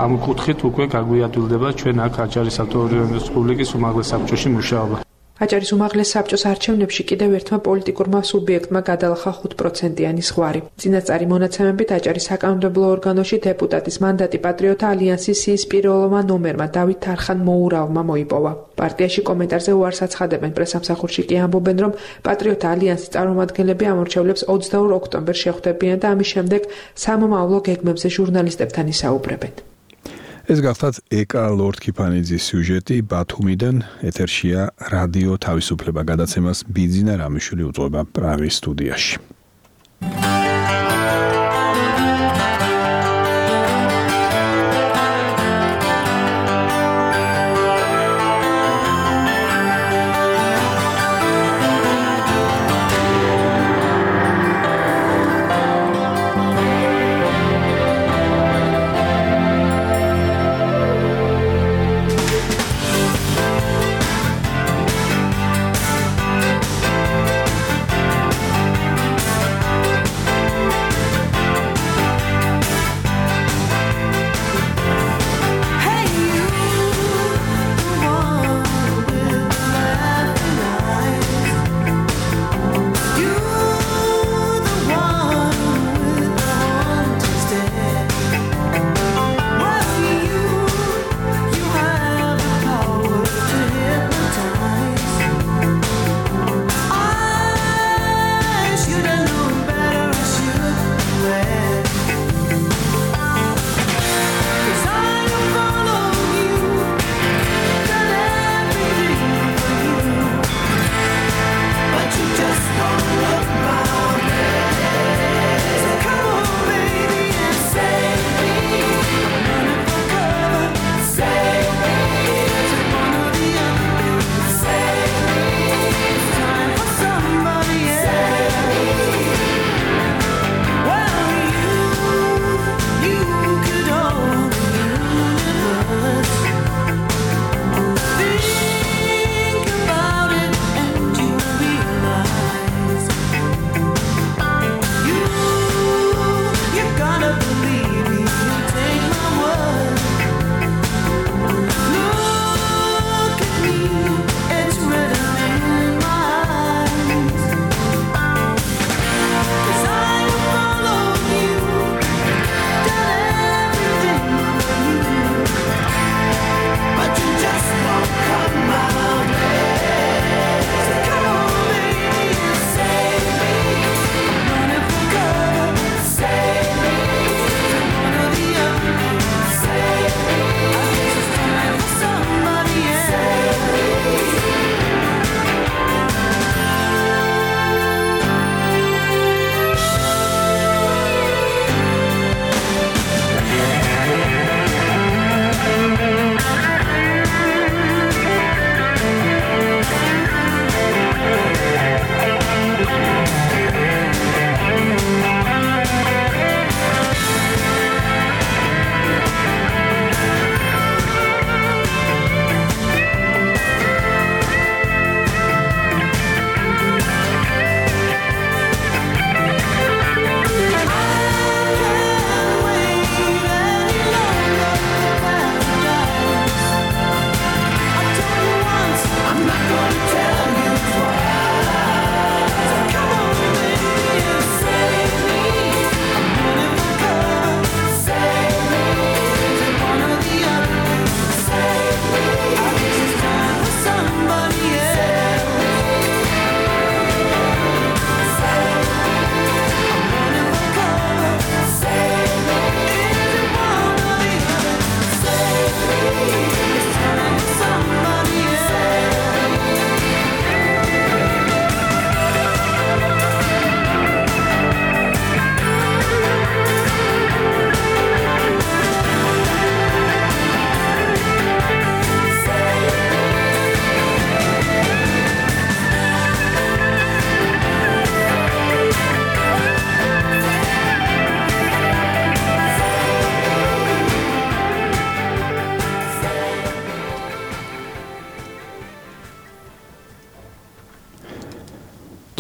ამ კუთხით უკვე გაგვიადვილდება ჩვენ აქ აჭარის ავტონომიური რესპუბლიკის უმაღლეს საბჭოში მუშაობა. აჭარის უმაღლეს საბჭოს არჩევნებში კიდევ ერთმა პოლიტიკურმა სუბიექტმა გადალახა ხუთ პროცენტიანი ზღვარი. წინასწარი მონაცემებით აჭარის საკანონმდებლო ორგანოში დეპუტატის მანდატი პატრიოტთა ალიანსის სიის პირველმა ნომერმა დავით თარხან მოურავმა მოიპოვა. პარტიაში კომენტარზე უარს აცხადებენ, პრესამსახურში კი ამბობენ, რომ პატრიოტთა ალიანსის წარმომადგენლები ამორჩევლებს ოცდაორ ოქტომბერს შეხვდებიან და ამის შემდეგ სამომავლო გეგმებზე ჟურნალისტებთან ისაუბრებენ. ეს გახლავთ ეკა ლორდ-ქიფანიძის სიუჟეტი ბათუმიდან, ეთერშია რადიო თავისუფლება, გადაცემას ბიძინა რამიშვილი უძღვება პრაღის სტუდიაში.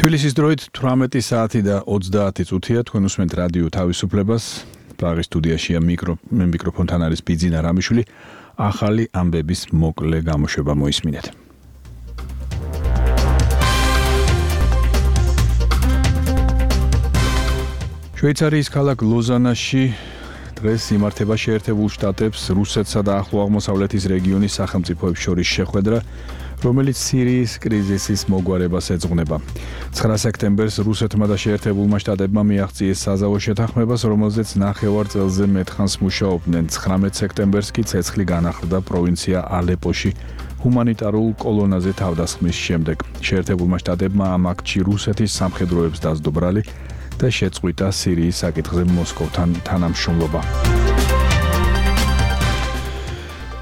თბილისის დროით თვრამეტი საათი და ოცდაათი წუთია. თქვენ უსმენთ რადიო თავისუფლებას. პრაღის სტუდიაშია მიკრო მიკროფონთან არის ბიძინა რამიშვილი. ახალი ამბების მოკლე გამოშვება მოისმინეთ. შვეიცარიის ქალაქ ლოზანაში დღეს იმართება შეერთებულ შტატებს, რუსეთსა და ახლო აღმოსავლეთის რეგიონის სახელმწიფოებს შორის შეხვედრა, რომელიც სირიის კრიზისის მოგვარებას ეძღვნება. ცხრა სექტემბერს რუსეთმა და შეერთებულმა შტატებმა მიაღწიეს საზავო შეთანხმებას, რომელზეც ნახევარ წელზე მეტხანს მუშაობდნენ. ცხრამეტ სექტემბერს კი ცეცხლი განახლდა პროვინცია ალეპოში ჰუმანიტარულ კოლონაზე თავდასხმის შემდეგ. შეერთებულმა შტატებმა ამ აქტში რუსეთის სამხედროებს დასდო ბრალი და შეწყვიტა სირიის საკითხზე მოსკოვთან თანამშრომლობა.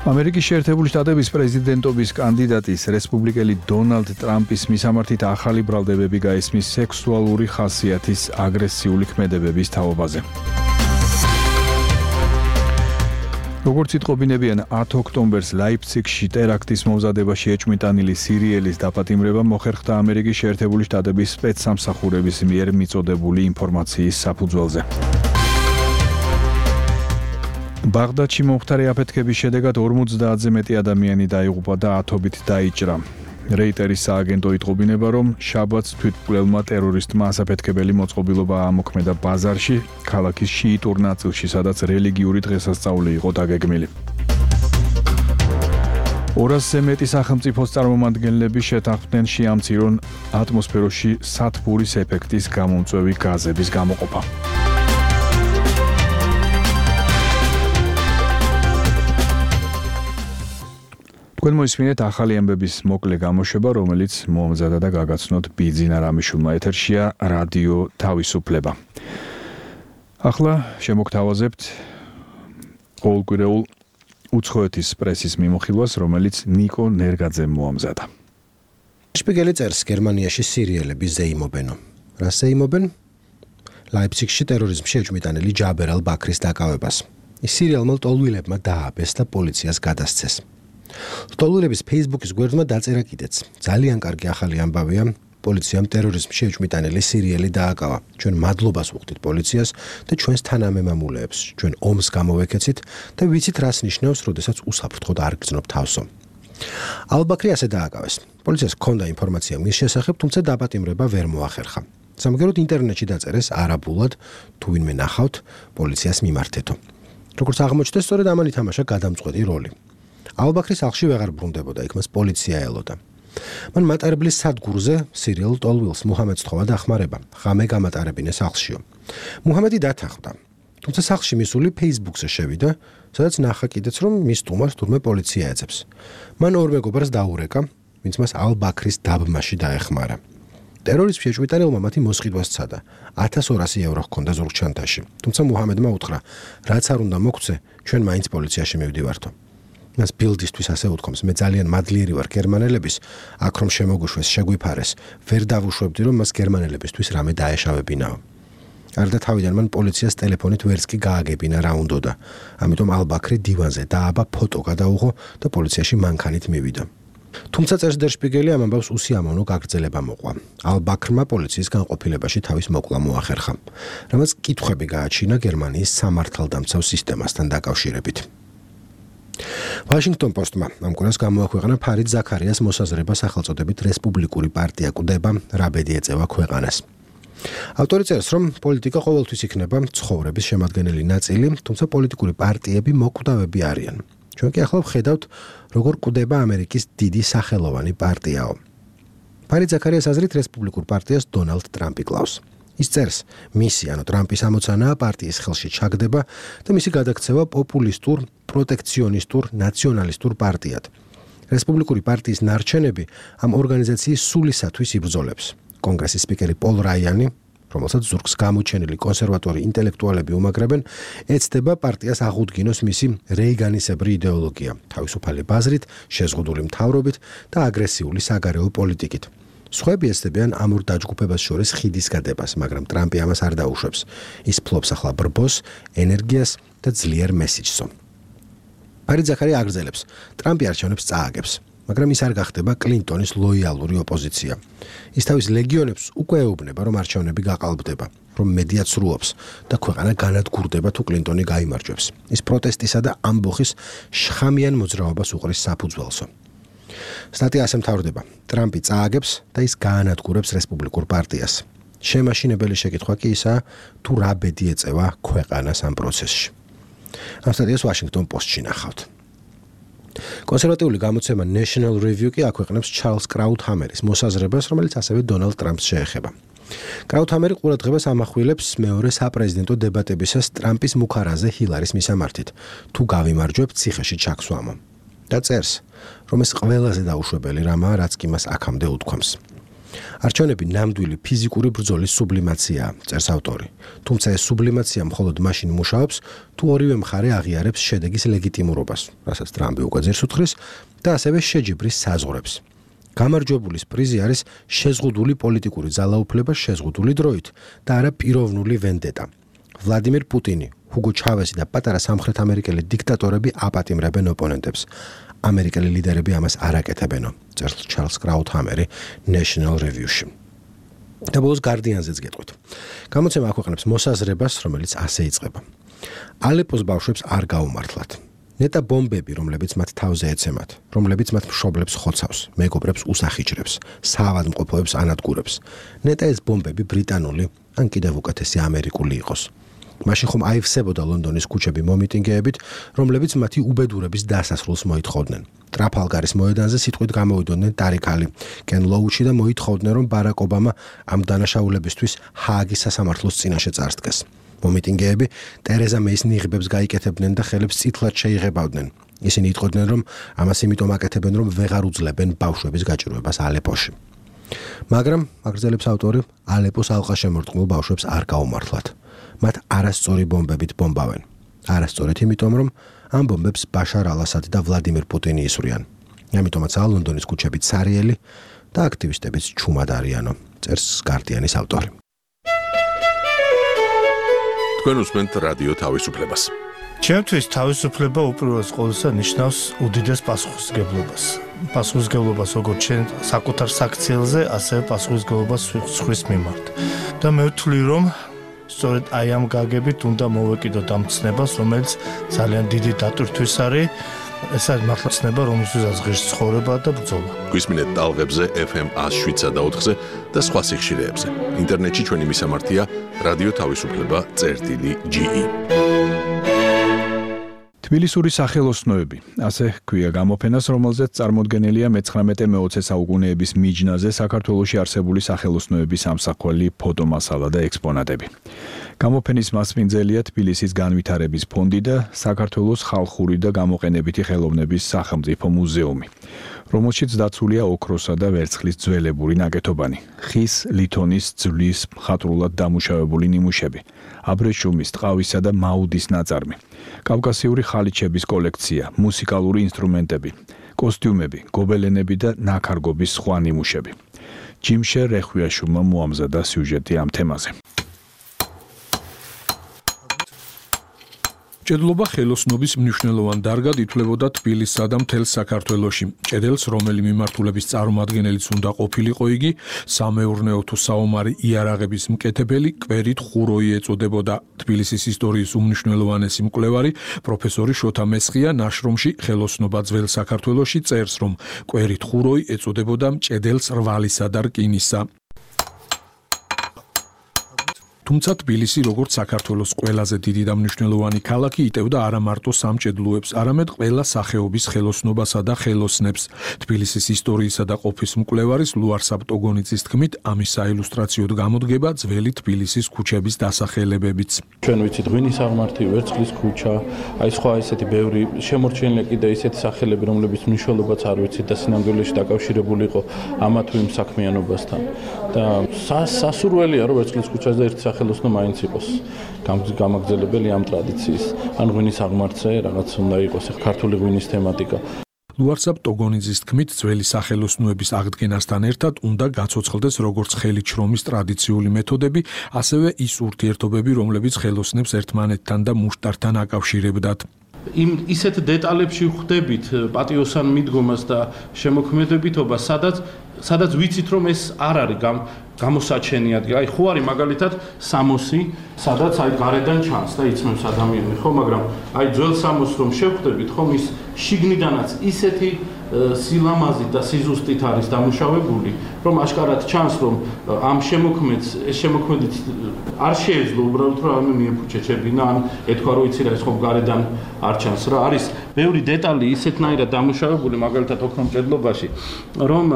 ამერიკის შეერთებული შტატების პრეზიდენტობის კანდიდატის რესპუბლიკელი დონალდ ტრამპის მისამართით ახალი ბრალდებები გაისმის სექსუალური ხასიათის აგრესიული ქმედებების თაობაზე. როგორც იტყობინებიან, ათი ოქტომბერს ლაიფციგში ტერაქტის მომზადებაში ეჭვმიტანილი სირიელის დაპატიმრება მოხერხდა ამერიკის შეერთებული შტატების სპეცსამსახურების მიერ მიწოდებული ინფორმაციის საფუძველზე. ბაღდადში მომხდარი აფეთქების შედეგად ორმოცდაათზე მეტი ადამიანი დაიღუპა და ათობით დაიჭრა. რეიტერის სააგენტო იტყობინება, რომ შაბათს თვითმკვლელმა ტერორისტმა ასაფეთქებელი მოწყობილობა ამოქმედა ბაზარში, ქალაქის შიიტურ ნაწილში, სადაც რელიგიური დღესასწაული იყო დაგეგმილი. ორასზე მეტი სახელმწიფოს წარმომადგენლები შეთანხმდნენ შეამცირონ ატმოსფეროში სათბურის ეფექტის გამომწვევი გაზების გამოყოფა. თქვენ მოისმინეთ ახალი ამბების მოკლე გამოშვება, რომელიც მოამზადა და გაგაცნოთ ბიძინა რამიშვილმა. ეთერშია რადიო თავისუფლება. ახლა შემოგთავაზებთ ყოველკვირეულ უცხოეთის პრესის მიმოხილვას, რომელიც ნიკო ნერგაძემ მოამზადა. შპიგელი წერს გერმანიაში სირიელები ზეიმობენო. რა ზეიმობენ? ლაიფციგში ტერორიზმში ეჭვმიტანილი ჯაბერ ალ-ბაქრის დაკავებას. ის სირიელმა ლტოლვილებმა დააბეს და პოლიციას გადასცეს. ლტოლვილების Facebook-ის გვერდმა დაწერა კიდეც. ძალიან კარგი ახალი ამბავია, პოლიციამ ტერორიზმში ეჭვმიტანილი სირიელი დააკავა. ჩვენ მადლობას ვუხდით პოლიციას და ჩვენს თანამემამულეებს. ჩვენ ომს გამოვეკეცით და ვიცით რას ნიშნავს, როდესაც უსაფრთხოდ არ გრძნობ თავსო. ალ-ბაქრი ასე დააკავეს. პოლიციას ჰქონდა ინფორმაცია მის შესახებ, თუმცა დაპატიმრება ვერ მოახერხა. სამაგეროდ ინტერნეტში დაწერეს არაბულად, თუ ვინმე ნახავთ, პოლიციას მიმართეთო. როგორც აღმოჩნდა, სწორედ ამან ითამაშა გადამწყვეტი როლი. ალ-ბაქრის სახლში ვეღარ ბრუნდებოდა, იქ მას პოლიცია ელოდა. მან მატარებლის სადგურზე სირიელ ლტოლვილს მუჰამედს თხოვა დახმარება, ღამე გამატარებინე სახლშიო. მუჰამედი დათანხმდა. თუმცა სახლში მისული Facebook-ზე შევიდა, სადაც ნახა კიდეც, რომ მის სტუმარს თურმე პოლიცია ეძებს. მან ორ მეგობარს დაურეკა, ვინც მას ალ-ბაქრის დაბმაში დაეხმარა. ტერორიზმში ეჭვმიტანილმა მათი მოსყიდვა სცადა. ათას ორასი ევრო ჰქონდა ზურგჩანთაში. თუმცა მუჰამედმა უთხრა, რაც არ უნდა მოგცე, ჩვენ მაინც პოლიციაში მივდივართო. მას ბილდისთვის ასე უთქვამს, მე ძალიან მადლიერი ვარ გერმანელების, აქ რომ შემოგუშვეს, შეგვიფარეს, ვერ დავუშვებდი, რომ მას გერმანელებისთვის რამე დაეშავებინაო. არდა თავიდან მან პოლიციას ტელეფონით ვერც კი გააგებინა რა უნდოდა. ამიტომ ალ-ბაქრი დივანზე დააბა, ფოტო გადაუღო და პოლიციაში მანქანით მივიდა. თუმცა წერს დერ შპიგელი ამ ამბავს უსიამოვნო გაგრძელება მოყვა. ალ-ბაქრმა პოლიციის განყოფილებაში თავის მოკლა მოახერხა, რამაც კითხვები გააჩინა გერმანიის სამართალდამცავ სისტემასთან დაკავშირებით. Washington Post-მა ამ კვირას გამოაქვეყნა ფარიდ ზაქარიას მოსაზრება სახელწოდებით რესპუბლიკური პარტია კვდება, რა ბედი ეწევა ქვეყანას. ავტორი წერს, რომ პოლიტიკა ყოველთვის იქნება ცხოვრების შემადგენელი ნაწილი, თუმცა პოლიტიკური პარტიები მოკვდავები არიან. ჩვენ კი ახლა ვხედავთ, როგორ კვდება ამერიკის დიდი სახელოვანი პარტიაო. ფარიდ ზაქარიას აზრით რესპუბლიკურ პარტიას დონალდ ტრამპი კლავს. ის წერს, მისი, ანუ ტრამპის ამოცანაა პარტიის ხელში ჩაგდება და მისი გადაქცევა პოპულისტურ, პროტექციონისტურ, ნაციონალისტურ პარტიად. რესპუბლიკური პარტიის ნარჩენები ამ ორგანიზაციის სულისათვის იბრძოლებს. კონგრესის სპიკერი პოლ რაიანი, რომელსაც ზურგს გამოჩენილი კონსერვატორი ინტელექტუალები უმაგრებენ, ეცდება პარტიას აღუდგინოს მისი რეიგანისებრი იდეოლოგია, თავისუფალი ბაზრით, შეზღუდული მთავრობით და აგრესიული საგარეო პოლიტიკით. სხვები ეცდებიან ამ ორ დაჯგუფებას შორის ხიდის გადებას, მაგრამ ტრამპი ამას არ დაუშვებს. ის ფლობს ახლა ბრბოს, ენერგიას და ძლიერ მესიჯსო. ფარიდ ზაქარია აგრძელებს, ტრამპი არჩევნებს წააგებს. მაგრამ ის არ გახდება კლინტონის ლოიალური ოპოზიცია. ის თავის ლეგიონებს უკვე ეუბნება, რომ არჩევნები გაყალბდება, რომ მედია ცრუობს და ქვეყანა განადგურდება თუ კლინტონი გაიმარჯვებს. ის პროტესტისა და ამბოხის შხამიან მოძრაობას უყრის საფუძველსო. სტატია ასე მთავრდება: ტრამპი წააგებს და ის გაანადგურებს რესპუბლიკურ პარტიას. შემაშინებელი შეკითხვა კი ისაა, თუ რა ბედი ეწევა ქვეყანას ამ პროცესში. ამ სტატიას Washington Post-ში ნახავთ. კონსერვატიული გამოცემა National Review კი აქვეყნებს ჩარლზ კრაუთჰამერის მოსაზრებას, რომელიც ასევე დონალდ ტრამპს შეეხება. კრაუთჰამერი ყურადღებას ამახვილებს მეორე საპრეზიდენტო დებატებისას ტრამპის მუქარაზე ჰილარის მისამართით, თუ გავიმარჯვებ ციხეში ჩაქსვამო. და წერს, რომ ეს ყველაზე დაუშვებელი რამაა, რაც კი მას აქამდე უთქვამს. არჩევნები ნამდვილი ფიზიკური ბრძოლის სუბლიმაციაა, წერს ავტორი. თუმცა ეს სუბლიმაცია მხოლოდ მაშინ მუშაობს, თუ ორივე მხარე აღიარებს შედეგის ლეგიტიმურობას, რასაც ტრამპი უკვე ძირს უთხრის, და ასევე შეჯიბრის საზღვრებს. გამარჯვებულის პრიზი არის შეზღუდული პოლიტიკური ძალაუფლება შეზღუდული დროით და არა პიროვნული ვენდეტა. ვლადიმირ პუტინი, ჰუგო ჩავესი და პატარა სამხრეთ ამერიკელი დიქტატორები აპატიმრებენ ოპონენტებს. ამერიკელი ლიდერები ამას არ აკეთებენო, წერს ჩარლზ კრაუთჰამერი National Review-ში. და ბოლოს Guardian-ზეც გეტყვით. გამოცემა აქვეყნებს მოსაზრებას, რომელიც ასე იწყება. ალეპოს ბავშვებს არ გაუმართლათ. ნეტა ბომბები, რომლებიც მათ თავზე ეცემათ, რომლებიც მათ მშობლებს ხოცავს, მეგობრებს უსახიჭრებს, საავადმყოფოებს ანადგურებს. ნეტა ეს ბომბები ბრიტანული, ან კიდევ უკეთესი ამერიკული იყოს. მაშინ ხომ აივსებოდა ლონდონის ქუჩები მომიტინგეებით, რომლებიც მათი უბედურების დასასრულს მოითხოვდნენ. ტრაფალგარის მოედანზე სიტყვით გამოვიდოდნენ ტარიქალი, კენ ლოუჩი და მოითხოვდნენ, რომ ბარაკ ობამა ამ დანაშაულებისთვის ჰააგის სასამართლოს წინაშე წარსდგეს. მომიტინგეები ტერეზა მეის ნიღბებს გაიკეთებდნენ და ხელებს წითლად შეიღებავდნენ. ისინი იტყოდნენ, რომ ამას იმიტომ აკეთებენ, რომ ვეღარ უძლებენ ბავშვების გაჭირვებას ალეპოში. მაგრამ, აგრძელებს ავტორი, ალეპოს ალყაშემორტყმულ ბავშვებს არ გაუმართლათ. მათ არასწორი ბომბებით ბომბავენ. არასწორით იმიტომ, რომ ამ ბომბებს ბაშარ ალასადი და ვლადიმირ პუტინი ისვრიან. ამიტომაცაა ლონდონის ქუჩები ცარიელი და აქტივისტებიც ჩუმად არიანო, წერს Guardian-ის ავტორი. თქვენ უსმენთ რადიო თავისუფლებას. ჩემთვის თავისუფლება უპირველეს ყოვლისა ნიშნავს უდიდეს პასუხისმგებლობას. პასუხისმგებლობას როგორც ჩვენ საკუთარ საქციელზე, ასევე პასუხისმგებლობას სხვის მიმართ. და მე ვთვლი, რომ სწორედ აი ამ გაგებით უნდა მოვეკიდოთ ამ ცნებას, რომელიც ძალიან დიდი დატვირთვის არის. ეს არის მართლა ცნება, რომელსაც ღირს ცხოვრება და ბრძოლა. გვისმინეთ ტალღებზე F M one oh seven და ოთხზე და სხვა სიხშირეებზე. ინტერნეტში ჩვენი მისამართია რადიო თავისუფლება წერტილი G E. თბილისური სახელოსნოები, ასე ჰქვია გამოფენას, რომელზეც წარმოდგენილია მეცხრამეტე-მეოცე საუკუნეების მიჯნაზე საქართველოში არსებული სახელოსნოების ამსახველი ფოტომასალა და ექსპონატები. გამოფენის მასპინძელია თბილისის განვითარების ფონდი და საქართველოს ხალხური და გამოყენებითი ხელოვნების სახელმწიფო მუზეუმი, რომელშიც დაცულია ოქროსა და ვერცხლის ძველებური ნაკეთობანი, ხის, ლითონის, ძვლის მხატვრულად დამუშავებული ნიმუშები, აბრეშუმის, ტყავისა და მაუდის ნაწარმი, კავკასიური ხალიჩების კოლექცია, მუსიკალური ინსტრუმენტები, კოსტიუმები, გობელენები და ნაქარგობის სხვა ნიმუშები. ჯიმშე რეხვიაშვილმა მოამზადა სიუჟეტი ამ თემაზე. ჭედლობა ხელოსნობის მნიშვნელოვან დარგად ითვლებოდა თბილისსა და მთელ საქართველოში. ჭედელს, რომელი მიმართულების წარმომადგენელიც უნდა ყოფილიყო იგი, სამეურნეო თუ საომარი იარაღების მკეთებელი კვერით ხუროი ეწოდებოდა. თბილისის ისტორიის უმნიშვნელოვანესი მკვლევარი პროფესორი შოთა მესხია ნაშრომში ხელოსნობა ძველ საქართველოში წერს, რომ კვერით ხუროი ეწოდებოდა ჭედელს რვალისა და რკინისა. თუმცა თბილისი როგორც საქართველოს ყველაზე დიდი და მნიშვნელოვანი ქალაქი იტევდა არა მარტო სამჭედლუებს, არამედ ყველა სახეობის ხელოსნობასა და ხელოსნებს. თბილისის ისტორიისა და ყოფის მკვლევარის ლუარსაბ ტოგონიძის თქმით, ამის საილუსტრაციოდ გამოდგება ძველი თბილისის ქუჩების დასახელებებიც. ჩვენ ვიცით ღვინის აღმართი, ვერცხლის ქუჩა, აი სხვა ესეთი ბევრი შემორჩენილია კიდე ისეთი სახელები, რომლებიც მნიშვნელობაც არ ვიცით და სინამდვილეში დაკავშირებული იყო ამა თუ იმ საქმიანობასთან. და სასურველია რომ ვერცხლის ქუჩაზე ერთი სახელოსნო მაინც იყოს გამაგრძელებელი ამ ტრადიციის. ან ღვინის აღმართზე რაღაც უნდა იყოს ქართული ღვინის თემატიკა. ლუარსაბ ტოგონიძის თქმით, ძველი სახელოსნოების აღდგენასთან ერთად უნდა გაცოცხლდეს როგორც ხელით შრომის ტრადიციული მეთოდები, ასევე ის ურთიერთობები, რომლებიც ხელოსნებს ერთმანეთთან და მუშტართან აკავშირებდათ. იმ ისეთ დეტალებში ვხვდებით პატიოსან მიდგომას და შემოქმედებითობას, სადაც სადაც ვიცით რომ ეს არ არის გამოსაჩენი ადგილი. აი ხო არის მაგალითად სამოსი, სადაც აი გარედან ჩანს და იცნობს ადამიანი, ხო, მაგრამ აი ძველ სამოსს რომ შევხვდებით, ხომ ის შიგნიდანაც ისეთი სილამაზით და სიზუსტით არის დამუშავებული, რომ აშკარად ჩანს, რომ ამ შემოქმედს, ეს შემოქმედით არ შეეძლო უბრალოდ რომ ამ მიეფუჩეჩებინა, ან ეთქვა რომ იცი რა ეს ხომ გარედან არ ჩანს რა. არის ბევრი დეტალი ისეთნაირად დამუშავებული, მაგალითად ოქრომჭედლობაში, რომ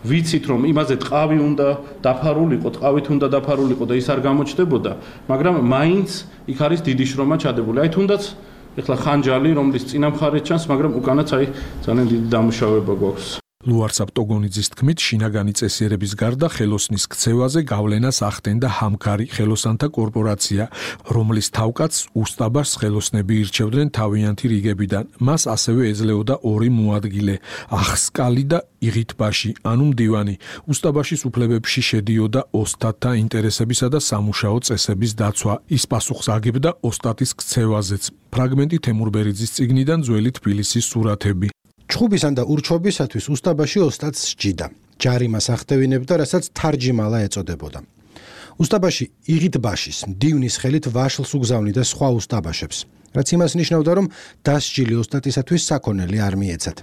ვიცით რომ იმაზე ტყავი უნდა დაფარულიყო, ტყავით უნდა დაფარულიყო და ის არ გამოჩნდებოდა, მაგრამ მაინც იქ არის დიდი შრომა ჩადებული. აი თუნდაც ეხლა ხანჯალი, რომლის წინა მხარეს ჩანს, მაგრამ უკანაც აი ძალიან დიდი დამუშავება გვაქვს. ლუარსაბ ტოგონიძის თქმით, შინაგანი წესიერების გარდა ხელოსნის ქცევაზე გავლენას ახდენდა ჰამქარი ხელოსანთა კორპორაცია, რომლის თავკაცს უსტაბაშს ხელოსნები ირჩევდნენ თავიანთი რიგებიდან. მას ასევე ეძლეოდა ორი მოადგილე, ახსკალი და იღითბაში, ანუ მდივანი. უსტაბაშის უფლებებში შედიოდა ოსტატთა ინტერესებისა და სამუშაო წესების დაცვა. ის პასუხს აგებდა ოსტატის ქცევაზეც. ფრაგმენტი თემურბერიძის წიგნიდან ძველი თბილისის სურათები. ჩხუბისან და ურჩობისათვის უსტაბაში ოსტატს სჯიდა. ჯარიმას ახდევინებდა, რასაც თარჯიმალა ეწოდებოდა. უსტაბაში იღითბაშის, მდივნის ხელით ვაშლს უგზავნიდა სხვა უსტაბაშებს, რაც იმას ნიშნავდა, რომ დასჯილი ოსტატისათვის საქონელი არ მიეცათ.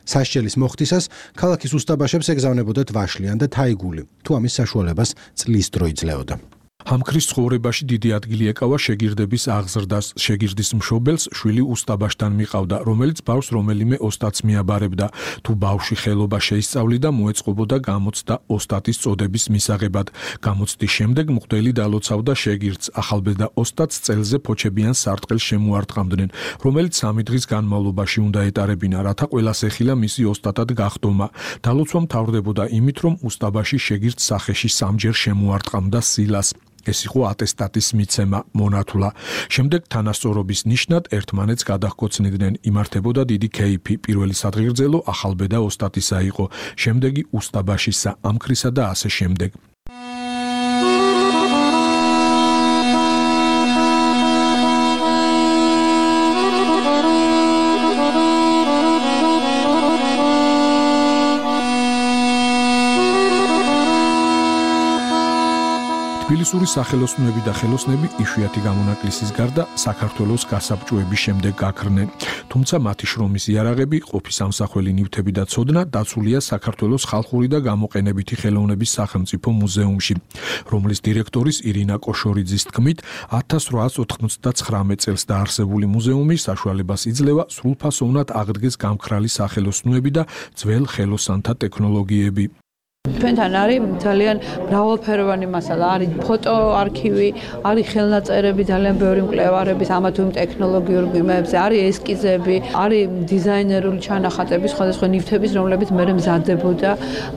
სასჯელის მოხდისას ქალაქის უსტაბაშებს ეგზავნებოდათ ვაშლიან და თაიგული, თუ ამის საშუალებას წლის დრო იძლეოდა. ჰამქრის ცხოვრებაში დიდი ადგილი ეკავა შეგირდების აღზრდას. შეგირდის მშობელს შვილი უსტაბაშთან მიყავდა, რომელიც ბავშვს რომელიმე ოსტატს მიაბარებდა. თუ ბავშვი ხელობა შეისწავლიდა, მოეწყობოდა გამოცდა ოსტატის წოდების მისაღებად. გამოცდის შემდეგ მღვდელი დალოცავდა შეგირდს. ახალბედა ოსტატს წელზე ფოჩებიან სარტყელს შემოარტყამდნენ, რომელიც სამი დღის განმავლობაში უნდა ეტარებინა, რათა ყველას ეხილა მისი ოსტატად გახდომა. დალოცვა მთავრდებოდა იმით, რომ უსტაბაში შეგირდს სახეში სამჯერ შემოარტყამდა სილას. ეს იყო ატესტატის მიცემა, მონათვლა. შემდეგ თანასწორობის ნიშნად ერთმანეთს გადაჰკოცნიდნენ, იმართებოდა დიდი ქეიფი. პირველი სადღეგრძელო ახალბედა ოსტატისა იყო, შემდეგი უსტაბაშისა, ამქრისა და ასე შემდეგ. თბილისური სახელოსნოები და ხელოსნები იშვიათი გამონაკლისის გარდა საქართველოს გასაბჭოების შემდეგ გაქრნენ, თუმცა მათი შრომის იარაღები, ყოფის ამსახველი ნივთები და ცოდნა დაცულია საქართველოს ხალხური და გამოყენებითი ხელოვნების სახელმწიფო მუზეუმში, რომლის დირექტორის ირინა კოშორიძის თქმით, ათას რვაას ოთხმოცდაცხრამეტ წელს დაარსებული მუზეუმი საშუალებას იძლევა სრულფასოვნად აღდგეს გამქრალი სახელოსნოები და ძველ ხელოსანთა ტექნოლოგიები. ჩვენთან არის ძალიან მრავალფეროვანი მასალა, არის ფოტო არქივი, არის ხელნაწერები, ძალიან ბევრი მკვლევარების ამა თუ იმ ტექნოლოგიურ გვიმებზე, არის ესკიზები, არის დიზაინერული ჩანახატები სხვადასხვა ნივთების, რომლებიც მერე მზადდებოდა.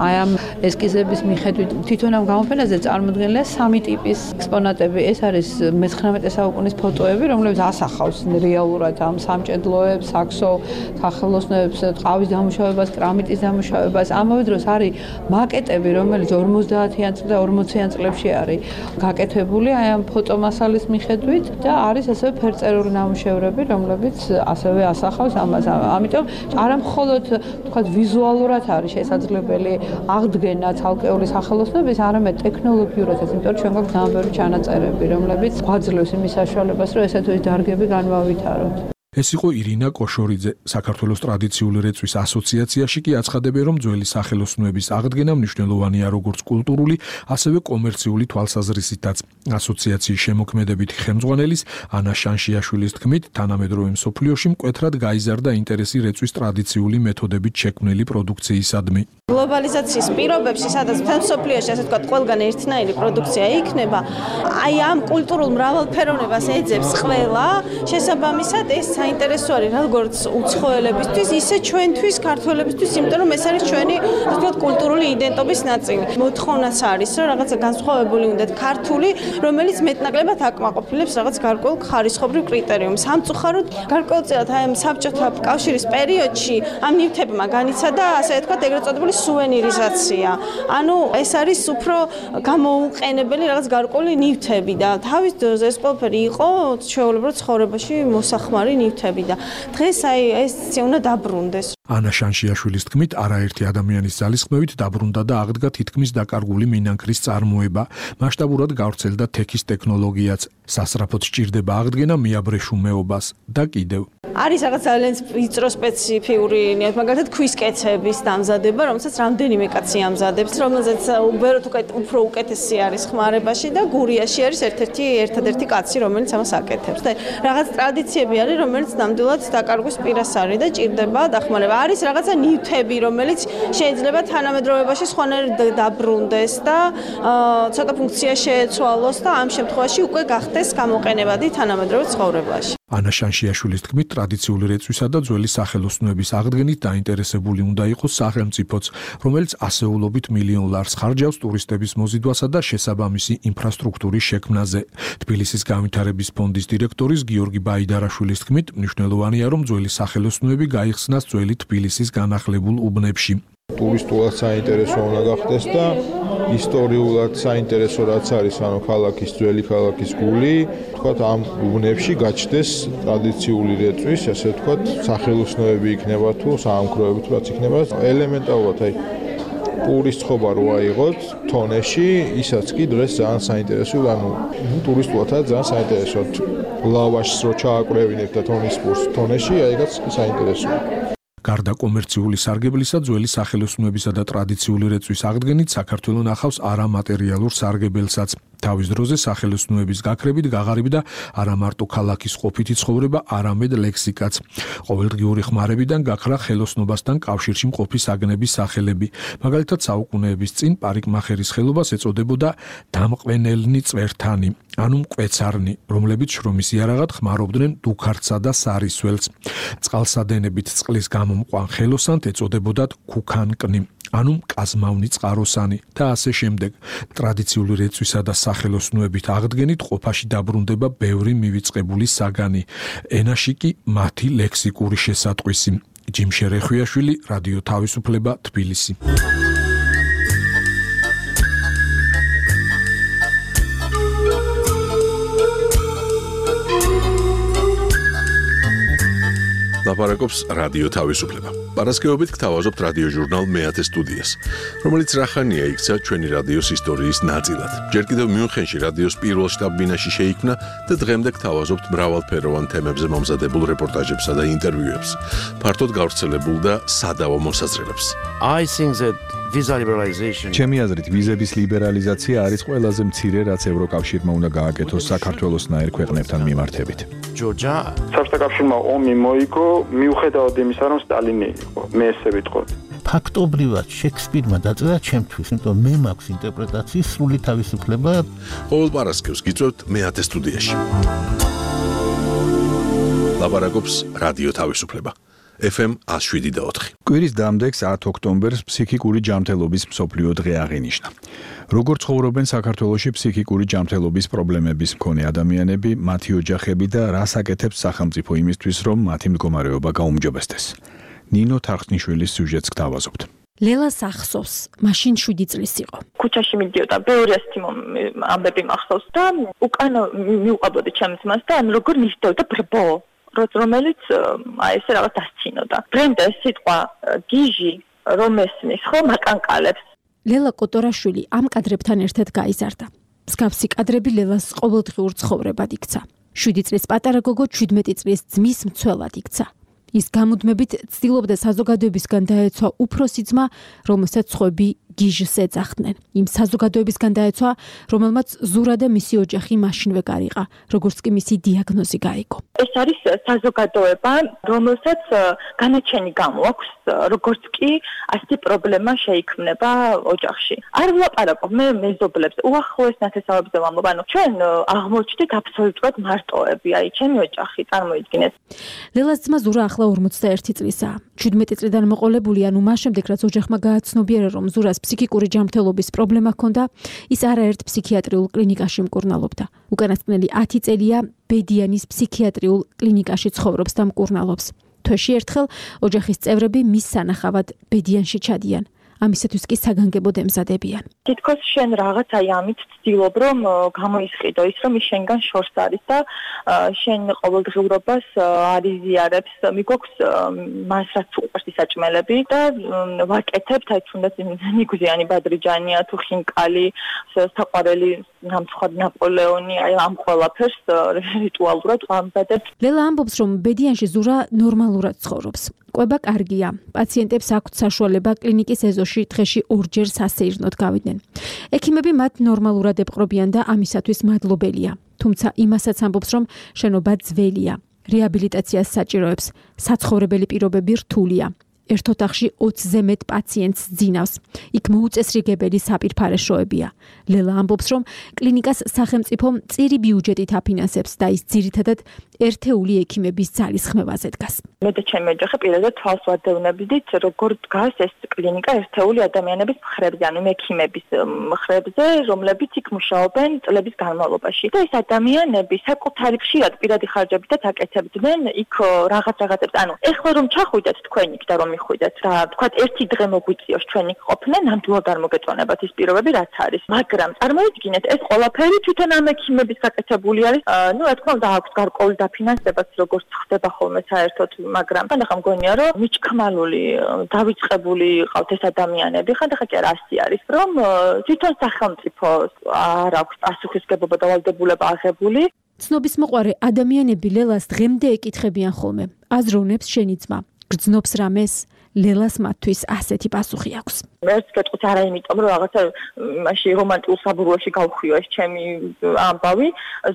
აი ამ ესკიზების მიხედვით თვითონ ამ გამოფენაზე წარმოდგენილია სამი ტიპის ექსპონატები. ეს არის მეცხრამეტე საუკუნის ფოტოები, რომლებიც ასახავს რეალურად ამ სამჭედლოებს, საქსო სახელოსნოებს, ტყავის დამუშავებას, კრამიტის დამუშავებას. ამავე დროს არის მაკეტები, რომელიც ორმოცდაათიან და ორმოციან წლებში არის გაკეთებული აი ამ ფოტომასალის მიხედვით და არის ასევე ფერწერული ნამუშევრები, რომლებიც ასევე ასახავს ამას. ამიტომ არა მხოლოდ თქვა ვიზუალურად არის შესაძლებელი აღდგენა ცალკეული სახელოსნოების, არამედ ტექნოლოგიურადაც, იმიტომ რომ ჩვენ გვაქვს ძალიან ბევრი ჩანაწერები, რომლებიც გვაძლევს იმის საშუალებას, რომ ესეთი დარგები განვავითაროთ. ეს იყო ირინა კოშორიძე. საქართველოს ტრადიციული რეწვის ასოციაციაში კი აცხადებენ, რომ ძველი სახელოსნოების აღდგენა მნიშვნელოვანია როგორც კულტურული, ასევე კომერციული თვალსაზრისითაც. ასოციაციის შემოქმედებითი ხელმძღვანელის ანა შანშიაშვილის თქმით, თანამედროვე მსოფლიოში მკვეთრად გაიზარდა ინტერესი რეწვის ტრადიციული მეთოდებით შექმნილი პროდუქციისადმი. გლობალიზაციის პირობებში, სადაც მთელ მსოფლიოში ასე ვთქვათ, ყველგან ერთნაირი პროდუქცია იქნება, აი ამ კულტურულ მრავალფეროვნებას ეძებს ყველა, შესაბამისად ეს საინტერესო არის როგორც უცხოელებისთვის, ისე ჩვენთვის, ქართველებისთვის, იმიტომ რომ ეს არის ჩვენი, ასე ვთქვათ, კულტურული იდენტობის ნაწილი. მოთხოვნაც არის, რომ რაღაცა განსხვავებული უნდათ ქართული, რომელიც მეტნაკლებად აკმაყოფილებს რაღაც გარკვეულ ხარისხობრივ კრიტერიუმს. სამწუხაროდ, გარკვეულწილად აი ამ საბჭოთა კავშირის პერიოდში ამ ნივთებმა განიცადა, ასე ვთქვათ, ეგრეთ წოდებული სუვენირიზაცია. ანუ ეს არის უფრო გამოუყენებელი რაღაც გარკვეული ნივთები და თავის დროზე ეს ყველაფერი იყო ჩვეულებრივ ცხოვრებაში მოსახმარი ნივთები და დღეს აი ეს უნდა დაბრუნდეს. ანა შანშიაშვილის თქმით, არაერთი ადამიანის ძალისხმევით დაბრუნდა და აღდგა თითქმის დაკარგული მინანქრის წარმოება. მასშტაბურად გავრცელდა თექის ტექნოლოგიაც. სასწრაფოდ სჭირდება აღდგენა მეაბრეშუმეობას და კიდევ. არის რაღაც ძალიან ვიწრო სპეციფიური ნიათ, მაგალითად ქვის კეცების დამზადება, რომელსაც რამდენიმე კაცი ამზადებს, რომელზეც უბრალოდ უფრო უკეთესი არის ხმარებაში და გურიაში არის ერთ-ერთი ერთადერთი კაცი, რომელიც ამას აკეთებს. და რაღაც ტრადიციები არის, რომელიც ნამდვილად დაკარგვის პირას არის და ჭირდება დახმარება. არის რაღაცა ნივთები, რომელიც შეიძლება თანამედროვეობაში სხვანაირად დაბრუნდეს და ცოტა ფუნქცია შეეცვალოს და ამ შემთხვევაში უკვე გახდეს გამოყენებადი თანამედროვე ცხოვრებაში. ანა შანშიაშვილის თქმით, ტრადიციული რეწვისა და ძველი სახელოსნოების აღდგენით დაინტერესებული უნდა იყოს სახელმწიფოც, რომელიც ასეულობით მილიონ ლარს ხარჯავს ტურისტების მოზიდვასა და შესაბამისი ინფრასტრუქტურის შექმნაზე. თბილისის განვითარების ფონდის დირექტორის გიორგი ბაიდარაშვილის თქმით, მნიშვნელოვანია, რომ ძველი სახელოსნოები გაიხსნას ძველი თბილისის განახლებულ უბნებში. ტურისტულად საინტერესო უნდა გახდეს და ისტორიულად საინტერესო რაც არის, ანუ ქალაქის ძველი ქალაქის გული, თქვათ ამ უბნებში გაჩნდეს ტრადიციული რეწვის, ასე ვთქვათ, სახელოსნოები იქნება თუ საამქროები თუ რაც იქნება, ელემენტარულად აი პურის ცხობა რო აიღოთ თონეში, ისაც კი დღეს ძალიან საინტერესოა, ანუ ტურისტულადაც ძალიან საინტერესოა. ლავაშს რო ჩააკვრევინებთ და თონის პურს თონეში, აიღაც საინტერესოა. გარდა კომერციული სარგებლისა, ძველი სახელოსნოებისა და ტრადიციული რეწვის აღდგენით საქართველოს ნახავს არამატერიალურ სარგებელსაც. თავის დროზე სახელოსნოების გაქრებით გაღარიბდა არა მარტო ქალაქის ყოფითი ცხოვრება, არამედ ლექსიკაც. ყოველდღიური ხმარებიდან გაქრა ხელოსნობასთან კავშირში მყოფი საგნების სახელები. მაგალითად, საუკუნეების წინ პარიკმახერის ხელობას ეწოდებოდა დამყვენელნი წვერთანი, ანუ მკვეცარნი, რომლებიც შრომის იარაღად ხმარობდნენ დუქარცსა და სარისველს. წყალსადენებით წყლის გამომყვან ხელოსანთ ეწოდებოდათ ქუქანკნი, ანუ მკაზმავნი წყაროსანი და ასე შემდეგ. ტრადიციული რეწვისა და სახელოსნოებით აღდგენით ყოფაში დაბრუნდება ბევრი მივიწყებული საგანი, ენაში კი მათი ლექსიკური შესატყვისი. ჯიმშე რეხვიაშვილი, რადიო თავისუფლება, თბილისი. ლაპარაკობს რადიო თავისუფლება. პარასკევობით გთავაზობთ რადიო ჟურნალ მეათე სტუდიას, რომელიც რახანია იქცა ჩვენი რადიოს ისტორიის ნაწილად. ჯერ კიდევ მიუნხენში რადიოს პირველ შტაბ-ბინაში შეიქმნა და დღემდე გთავაზობთ მრავალფეროვან თემებზე მომზადებულ რეპორტაჟებსა და ინტერვიუებს, ფართოდ გავრცელებულ და სადავო მოსაზრებებს. I think that visa liberalization. ჩემი აზრით, ვიზების ლიბერალიზაცია არის ყველაზე მცირე, რაც ევროკავშირმა უნდა გააკეთოს საქართველოსნაირ ქვეყნებთან მიმართებით. Georgia. საბჭოთა კავშირმა ომი მოიგო, მიუხედავად იმისა, რომ სტალინი იყო, მე ესე ვიტყოდ. ფაქტობრივად შექსპირმა დაწერა ჩემთვის, იმიტომ მე მაქვს ინტერპრეტაციის სრული თავისუფლება. ყოველ პარასკევს გიწევთ მეათე სტუდიაში. ლაპარაკობს რადიო თავისუფლება. ეფ ემ one oh seven და four. კვირის დამდეგს ათი ოქტომბერს ფსიქიკური ჯანმრთელობის მსოფლიო დღე აღინიშნა. როგორ ცხოვრობენ საქართველოში ფსიქიკური ჯანმრთელობის პრობლემების მქონე ადამიანები, მათი ოჯახები და რას აკეთებს სახელმწიფო იმისთვის, რომ მათი მდგომარეობა გაუმჯობესდეს. ნინო თარხნიშვილის სიუჟეტს გთავაზობთ. ლელას ახსოვს, მაშინ შვიდი წლის იყო. ქუჩაში მიდიოდა, ბევრი ასეთი ამბები მახსოვს და უკან მიუყვებოდი ჩემს მას და როგორ ნიშნავდა ბრბო. რომელიც აი ესე რაღაც დასცინოდა. ბრენდა სიტყვა გიჟი რომ ესმის ხო მაკანკალებს. ლელა კოტორაშვილი ამ კადრებთან ერთად გაიზარდა. მსგავსი კადრები ლელას ყოველდღიურ ცხოვრებად იქცა. შვიდი წლის პატარა გოგო ჩვიდმეტი წლის ძმის მცველად იქცა. ის გამუდმებით ცდილობდა საზოგადოებისგან დაეცვა უფროსი ძმა, რომელსაც სხვები გიჟს ეძახდნენ. იმ საზოგადოებისგან დაეცვა, რომელმაც ზურა და მისი ოჯახი მაშინვე გარიყა, როგორც კი მისი დიაგნოზი გაიგო. ეს არის საზოგადოება, რომელსაც განაჩენი გამოაქვს, როგორც კი ასეთი პრობლემა შეიქმნება ოჯახში. არ ვლაპარაკობ მე მეზობლებს, უახლოეს ნათესავებზე ვამბობ, ანუ ჩვენ აღმოჩნდით აბსოლუტურად მარტოები, აი ჩემი ოჯახი წარმოიდგინეთ. ლელას ძმა ზურა ახლა ორმოცდაერთი წლისაა. ჩვიდმეტი წლიდან მოყოლებული, ანუ მას შემდეგ რაც ოჯახმა გააცნობიერა, რომ ზურას ფსიქიკური ჯანმრთელობის პრობლემა ჰქონდა, ის არაერთ ფსიქიატრიულ კლინიკაში მკურნალობდა. უკანასკნელი ათი წელია ბედიანის ფსიქიატრიულ კლინიკაში ცხოვრობს და მკურნალობს. თვეში ერთხელ ოჯახის წევრები მის სანახავად ბედიანში ჩადიან. ამისათვის კი საგანგებოდ ემზადებიან. თითქოს შენ რაღაც აი ამით ცდილობ რომ გამოისყიდო ის რომ ის შენგან შორს არის და შენ ყოველდღიურობას არიზიარებს მიგვაქვს მას რაც უყვარს ისაჭმელები და ვაკეთებთ აი თუნდაც ნიგუზიანი ბადრიჯანია თუ ხინკალი საყვარელი ნამცხად ნაპოლეონი აი ამ ყველაფერს რიტუალურად ვამზადებთ. ლელა ამბობს რომ ბედიანში ზურა ნორმალურად ცხოვრობს. კვება კარგია. პაციენტებს აქვთ საშუალება კლინიკის ეზოში დღეში ორჯერ სასეირნოდ გავიდნენ. ექიმები მათ ნორმალურად ეპყრობიან და ამისათვის მადლობელია. თუმცა იმასაც ამბობს რომ შენობა ძველია. რეაბილიტაციას საჭიროებს. საცხოვრებელი პირობები რთულია. ერთ ოთახში ოცზე მეტ პაციენტს ძინავს. იქ მოუწესრიგებელი საპირფარეშოებია. ლელა ამბობს, რომ კლინიკას სახელმწიფო მწირი ბიუჯეტით აფინანსებს და ის ძირითადად ერთეული ექიმების ძალისხმევაზე დგას. მე და ჩემი ოჯახი პირადად თვალს ვადევნებდით, როგორ დგას ეს კლინიკა ერთეული ადამიანების მხრებზე, ანუ ექიმების მხრებზე, რომლებიც იქ მუშაობენ წლების განმავლობაში. და ეს ადამიანები საკუთარი ხშირად პირადი ხარჯებითაც აკეთებდნენ იქ რაღაც რაღაცებს. ანუ ეხლა რომ ჩახვიდეთ თქვენ იქ და რომ მიხვიდეთ და თქვათ ერთი დღე მოგვიწიოს ჩვენ იქ ყოფნა, ნამდვილად არ მოგეწონებათ ის პირობები რაც არის. მაგრამ წარმოიდგინეთ, ეს ყველაფერი თვითონ ამ ექიმების გაკეთებული არის. ну, რა თქმა უნდა, აქვს გარკვეული დაფინანსებაც, როგორც ხდება ხოლმე საერთოდ, მაგრამ ხანდახან მგონია, რომ მიჩქმალული, დავიწყებული ყავთ ეს ადამიანები, ხანდახან კი არა ასე არის, რომ თვითონ სახელმწიფო არ აქვს პასუხისგებლობა და ვალდებულება აღებული. ცნობის მოყვარე ადამიანები ლელას დღემდე ეკითხებიან ხოლმე. აზროვნებს შენი ძმა. გრძნობს რამეს? ლელას მათთვის ასეთი პასუხი აქვს. მეც გეტყვით არა იმიტომ რომ რაღაცა მაშინ რომანტიკულ საბურავში გავხვიო ეს ჩემი ამბავი.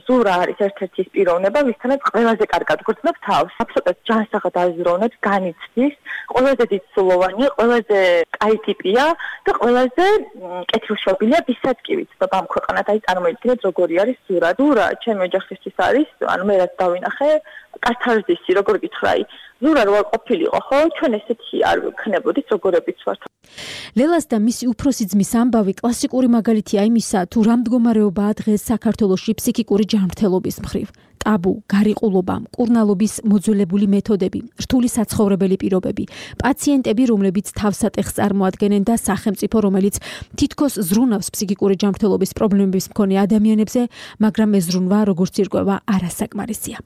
ზურა არის ერთ-ერთი ის პიროვნება, ვისთანაც ყველაზე კარგად გრძნობს თავს. აბსოლუტურად ჯანსაღად აზროვნებს, განიცდის, ყველაზე დიდსულოვანია, ყველაზე კაი ტიპია და ყველაზე კეთილშობილია, ვისაც კი ვიცნობ ამ ქვეყანად. აი წარმოიდგინეთ როგორი არის ზურა. ზურა ჩემი ოჯახისთვის არის, ანუ მე რაც დავინახე, კათარზისი, როგორ გითხრა, ზურა რო არ ყოფილიყო, ხო, ჩვენ ესეთი არ ვქნებოდით, როგორებიც ვართ. ლელას და მისი უფროსი ძმის ამბავი კლასიკური მაგალითია იმისა, თუ რა მდგომარეობაა დღეს საქართველოში ფსიქიკური ჯანმრთელობის მხრივ. ტაბუ, გარიყულობა, მკურნალობის მოძველებული მეთოდები, რთული საცხოვრებელი პირობები, პაციენტები, რომლებიც თავსატეხს წარმოადგენენ და სახელმწიფო, რომელიც თითქოს ზრუნავს ფსიქიკური ჯანმრთელობის პრობლემების მქონე ადამიანებზე, მაგრამ ეს ზრუნვა, როგორც ირკვევა, არასაკმარისია.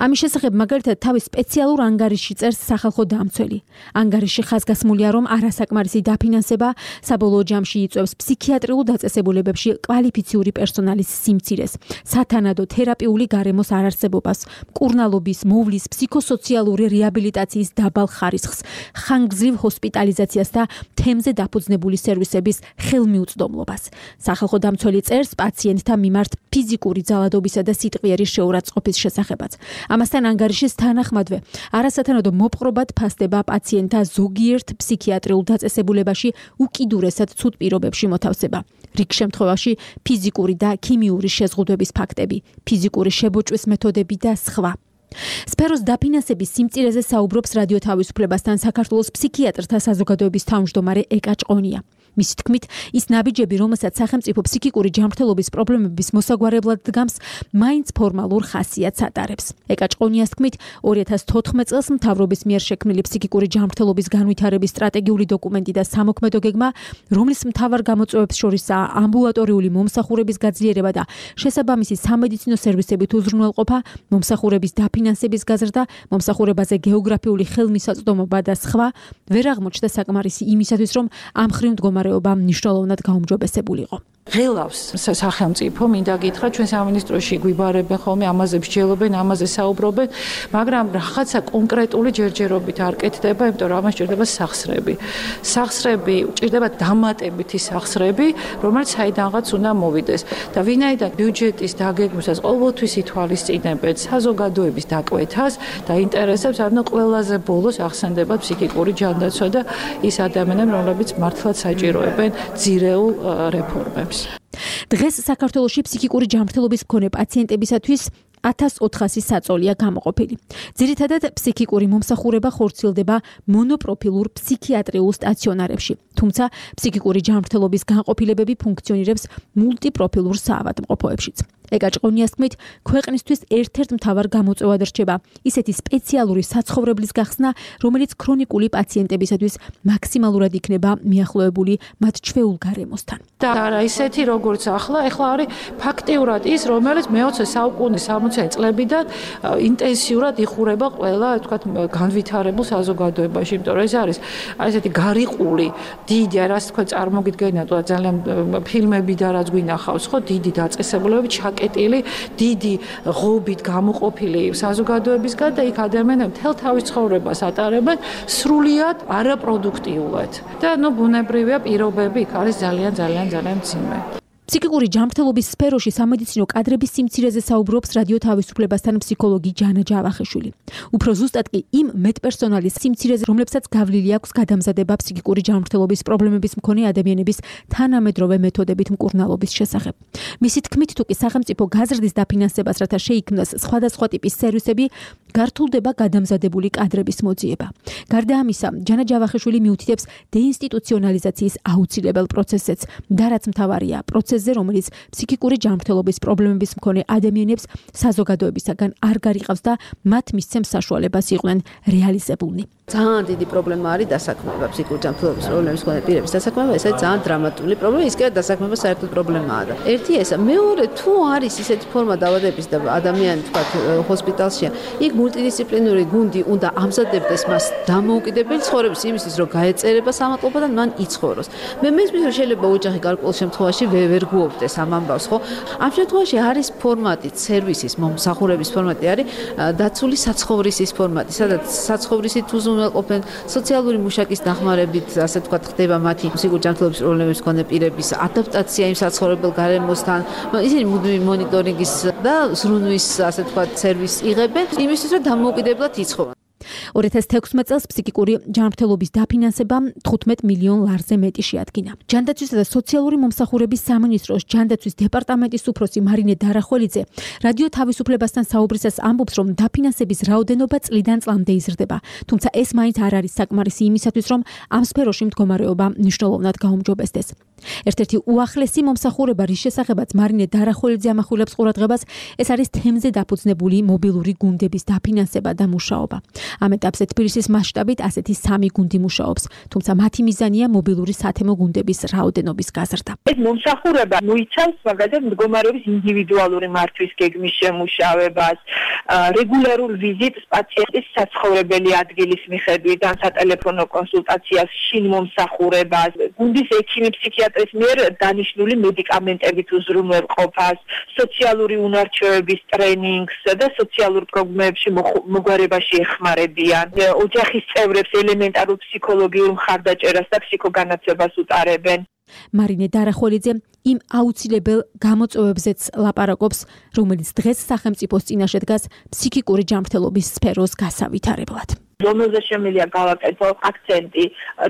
ამის შესახებ მაგალითად თავის სპეციალურ ანგარიში წერს სახალხო დამცველი. ანგარიში ხაზგასმულია, რომ არასაკმარისი დაფინანსება საბოლოო ჯამში იწვევს ფსიქიატრიულ დაწესებულებებში კვალიფიციური პერსონალის სიმცირეს, სათანადო თერაპიული გარემოს არარსებობას, მკურნალობის, მოვლის, ფსიქოსოციალური რეაბილიტაციის დაბალ ხარისხს, ხანგრძლივ ჰოსპიტალიზაციას და თემზე დაფუძნებული სერვისების ხელმიუწვდომლობას. სახალხო დამცველი წერს პაციენტთა მიმართ ფიზიკური ძალადობისა და სიტყვიერი შეურაცხყოფის შესახებაც. ამასთან ანგარიშის თანახმადვე, არასათანადო მოპყრობად ფასდება პაციენტთა ზოგიერთ ფსიქიატრიულ დაწესებულებაში უკიდურესად ცუდ პირობებში მოთავსება. რიგ შემთხვევაში ფიზიკური და ქიმიური შეზღუდვების ფაქტები, ფიზიკური შებოჭვის მეთოდები და სხვა. სფეროს დაფინანსების სიმწირეზე საუბრობს რადიო თავისუფლებასთან საქართველოს ფსიქიატრთა საზოგადოების თავმჯდომარე ეკა ჭყონია. მისი თქმით, ის ნაბიჯები, რომელსაც სახელმწიფო ფსიქიკური ჯანმრთელობის პრობლემების მოსაგვარებლად დგამს, მაინც ფორმალურ ხასიათს ატარებს. ეკა ჭყონიას თქმით, ორი ათას თოთხმეტ წელს მთავრობის მიერ შექმნილი ფსიქიკური ჯანმრთელობის განვითარების სტრატეგიული დოკუმენტი და სამოქმედო გეგმა, რომლის მთავარ გამოწვევებს შორისაა ამბულატორიული მომსახურების გაძლიერება და შესაბამისი სამედიცინო სერვისებით უზრუნველყოფა, მომსახურების დაფინანსების გაზრდა, მომსახურებაზე გეოგრაფიული ხელმისაწვდომობა და სხვა, ვერ აღმოჩნდა საკმარისი იმისათვის, რომ ამ ხრივ მდგომარეობა მნიშვნელოვნად გაუმჯობესებულიყო. ღელავს სახელმწიფო, მინდა გითხრა, ჩვენ სამინისტროში გვიბარებენ ხოლმე, ამაზე მსჯელობენ, ამაზე საუბრობენ, მაგრამ რაღაცა კონკრეტული ჯერჯერობით არ კეთდება, იმიტომ რომ ამას ჭირდება სახსრები. სახსრები, ჭირდება დამატებითი სახსრები, რომელიც საიდანღაც უნდა მოვიდეს. და ვინაიდან ბიუჯეტის დაგეგმვისას ყოველთვის ითვალისწინებენ საზოგადოების დაკვეთას და ინტერესებს, ანუ ყველაზე ბოლოს ახსენდება ფსიქიკური ჯანდაცვა და ის ადამიანები, რომლებიც მართლაც საჭიროებენ ძირეულ რეფორმებს. დღეს საქართველოში ფსიქიკური ჯანმრთელობის მქონე პაციენტებისათვის ათას ოთხასი საწოლია გამოყოფილი. ძირითადად ფსიქიკური მომსახურება ხორციელდება მონოპროფილურ ფსიქიატრიულ სტაციონარებში, თუმცა ფსიქიკური ჯანმრთელობის განყოფილებები ფუნქციონირებს მულტიპროფილურ საავადმყოფოებშიც. ეკაჭყონიას თქმით, ქვეყნისთვის ერთ-ერთ მთავარ გამოწვევად რჩება ისეთი სპეციალური საცხოვრებლის გახსნა, რომელიც ქრონიკული პაციენტებისათვის მაქსიმალურად იქნება მიახლოებული მათ ჩვეულ გარემოსთან. და არა ისეთი როგორც ახლა, ახლა არის ფაქტიურად ის, რომელიც მეოცე საუკუნის სამოცე წლებიდან ინტენსიურად იხურება ყველა, თქვათ, განვითარებულ საზოგადოებაში, იმიტომ რომ ეს არის აი ესეთი გარიყული, დიდი, რაც თქვენ წარმოგიდგენიათ, ძალიან ფილმები და რაც გვინახავს, ხო, დიდი დაწესებულებები, ჩაკეტილი, დიდი ღობით გამოყოფილი საზოგადოებისგან და იქ ადამიანები მთელ თავის ცხოვრებას ატარებენ სრულიად არაპროდუქტიულად. და ნუ ბუნებრივია პირობები იქ არის ძალიან ძალიან ძალიან მძიმე. ფსიქიკური ჯანმრთელობის სფეროში სამედიცინო კადრების სიმცირეზე საუბრობს რადიო თავისუფლებასთან ფსიქოლოგი ჯანა ჯავახიშვილი. უფრო ზუსტად კი იმ მეტპერსონალის სიმცირეზე, რომლებსაც გავლილი აქვს გადამზადება ფსიქიკური ჯანმრთელობის პრობლემების მქონე ადამიანების თანამედროვე მეთოდებით მკურნალობის შესახებ. მისი თქმით, თუ კი სახელმწიფო გაზრდის დაფინანსებას, რათა შეიქმნას სხვადასხვა ტიპის სერვისები, გართულდება გადამზადებული კადრების მოძიება. გარდა ამისა, ჯანა ჯავახიშვილი მიუთითებს დეინსტიტუციონალიზაციის აუცილებელ პროცესებს და რაც მთავარია, პროცესზე, რომელიც ფსიქიკური ჯანმრთელობის პრობლემების მქონე ადამიანებს საზოგადოებისაგან არ გარიყავს და მათ მისცემს საშუალებას იყვნენ რეალიზებულნი. ძალიან დიდი პრობლემა არის დასაქმება ფსიქიკური ჯანმრთელობის პრობლემის მქონე პირების დასაქმება, ეს არის ძალიან დრამატული პრობლემა, ის კი არა დასაქმება საერთოდ პრობლემაა და ერთი ესა, მეორე თუ არის ისეთი ფორმა დაავადების და ადამიანი თქვა ჰოსპიტალშია, იქ მულტიდისციპლინური გუნდი უნდა ამზადებდეს მას დამოუკიდებელი ცხოვრების იმისთვის, რომ გაეწერება სამატლობა და მან იცხოვროს. მე მესმის რომ შეიძლება ოჯახი გარკვეულ შემთხვევაში ვერ გუობდეს ამ ამბავს, ხო? ამ შემთხვევაში არის ფორმატი, სერვისის მომსახურების ფორმატი არის დაცული საცხოვრისის ფორმატი, სადაც საცხოვრისით უზრუნველყოფენ სოციალური მუშაკის დახმარებით, ასე ვთქვათ, ხდება მათი ფსიქიკური ჯანმრთელობის პრობლემების მქონე პირების ადაპტაცია იმ საცხოვრებელ გარემოსთან. ისინი მუდმივი მონიტორინგის და ზრუნვის, ასე ვთქვათ, სერვისს იღებენ, იმისთვის, რომ დამოუკიდებლად იცხოვრონ. ორი ათას თექვსმეტ წელს ფსიქიკური ჯანმრთელობის დაფინანსებამ თხუთმეტ მილიონ ლარზე მეტი შეადგინა. ჯანდაცვისა და სოციალური მომსახურების სამინისტროს ჯანდაცვის დეპარტამენტის უფროსი მარინე დარახველიძე რადიო თავისუფლებასთან საუბრისას ამბობს, რომ დაფინანსების რაოდენობა წლიდან წლამდე იზრდება, თუმცა ეს მაინც არ არის საკმარისი იმისათვის, რომ ამ სფეროში მდგომარეობა მნიშვნელოვნად გაუმჯობესდეს. ერთ-ერთი უახლესი მომსახურება, რის შესახებაც მარინე დარახველიძე ამახვილებს ყურადღებას, ეს არის თემზე დაფუძნებული მობილური გუნდების დაფინანსება და მუშაობა. ამ ეტაპზე თბილისის მასშტაბით ასეთი სამი გუნდი მუშაობს, თუმცა მათი მიზანია მობილური სათემო გუნდების რაოდენობის გაზრდა. ეს მომსახურება მოიცავს მაგალითად მდგომარეობის ინდივიდუალური მართვის გეგმის შემუშავებას, რეგულარულ ვიზიტს პაციენტის საცხოვრებელი ადგილის მიხედვით, ან სატელეფონო კონსულტაციას, შინ მომსახურებას, გუნდის ექიმი ფსიქიატრის მიერ დანიშნული მედიკამენტებით უზრუნველყოფას, სოციალური უნარჩვევების ტრენინგს და სოციალურ პრობლემებში მოგვარებაში ეხმარებიან, ოჯახის წევრებს ელემენტარულ ფსიქოლოგიურ მხარდაჭერას და ფსიქოგანაცვლებას უტარებენ. მარინე დარახველიძე იმ აუცილებელ გამოწვევებზეც ლაპარაკობს, რომელიც დღეს სახელმწიფოს წინაშე დგას ფსიქიკური ჯანმრთელობის სფეროს გასავითარებლად. რომელზე შემიძლია გავაკეთო აქცენტი,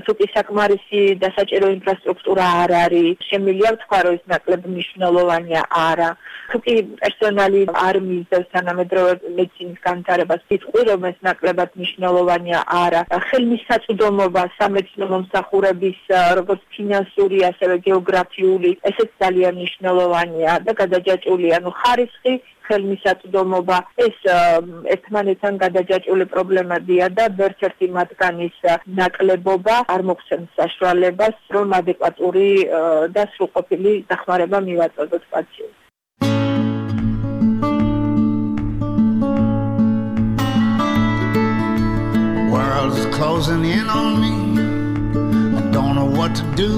თუ კი საკმარისი დასაჭირო ინფრასტრუქტურა არ არის, შემიძლია ვთქვა, რომ ის ნაკლებ მნიშვნელოვანია არა. თუ კი პერსონალი არ მისდევს თანამედროვე მედიცინის განვითარებას, ვიტყვი, რომ ეს ნაკლებად მნიშვნელოვანია არა. ხელმისაწვდომობა სამედიცინო მომსახურების როგორც ფინანსური, ასევე გეოგრაფიული, ესეც ძალიან მნიშვნელოვანია და გადაჯაჭვულია. ნუ ხარისხი ხელმისაწვდომობა ეს ერთმანეთთან გადაჯაჭვული პრობლემებია და ერთ-ერთი მათგანის ნაკლებობა არ მოგცემს საშუალებას, რომ ადეკვატური და სრულყოფილი დახმარება მივაწოდოთ პაციენტს. World's closing in on me. I don't know what to do.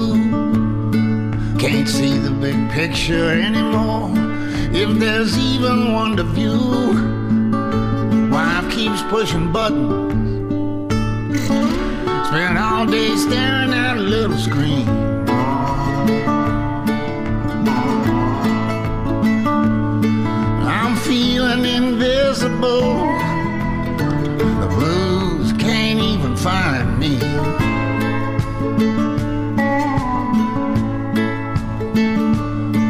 Can't see the big picture anymore. If there's even one to view, wife keeps pushing buttons. Spend all day staring at a little screen. I'm feeling invisible. The blues can't even find me.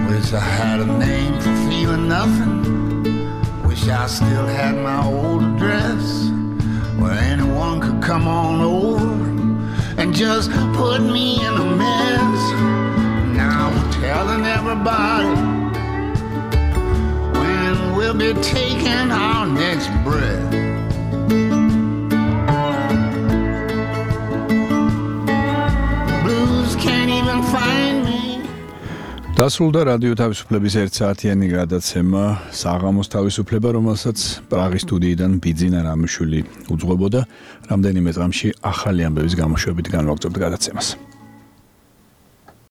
Wish I had a name for feeling nothing. Wish I still had my old address where anyone could come on over and just put me in a mess. Now I'm telling everybody we'll be taking our next breath. Blues can't even find me. დასრულდა რადიო თავისუფლების ერთსაათიანი გადაცემა საღამოს თავისუფლება, რომელსაც პრაღის სტუდიიდან ბიძინა რამიშვილი უძღვებოდა. რამდენიმე დღეში ახალი ამბების გამოშვებით განვაგრძობთ გადაცემას.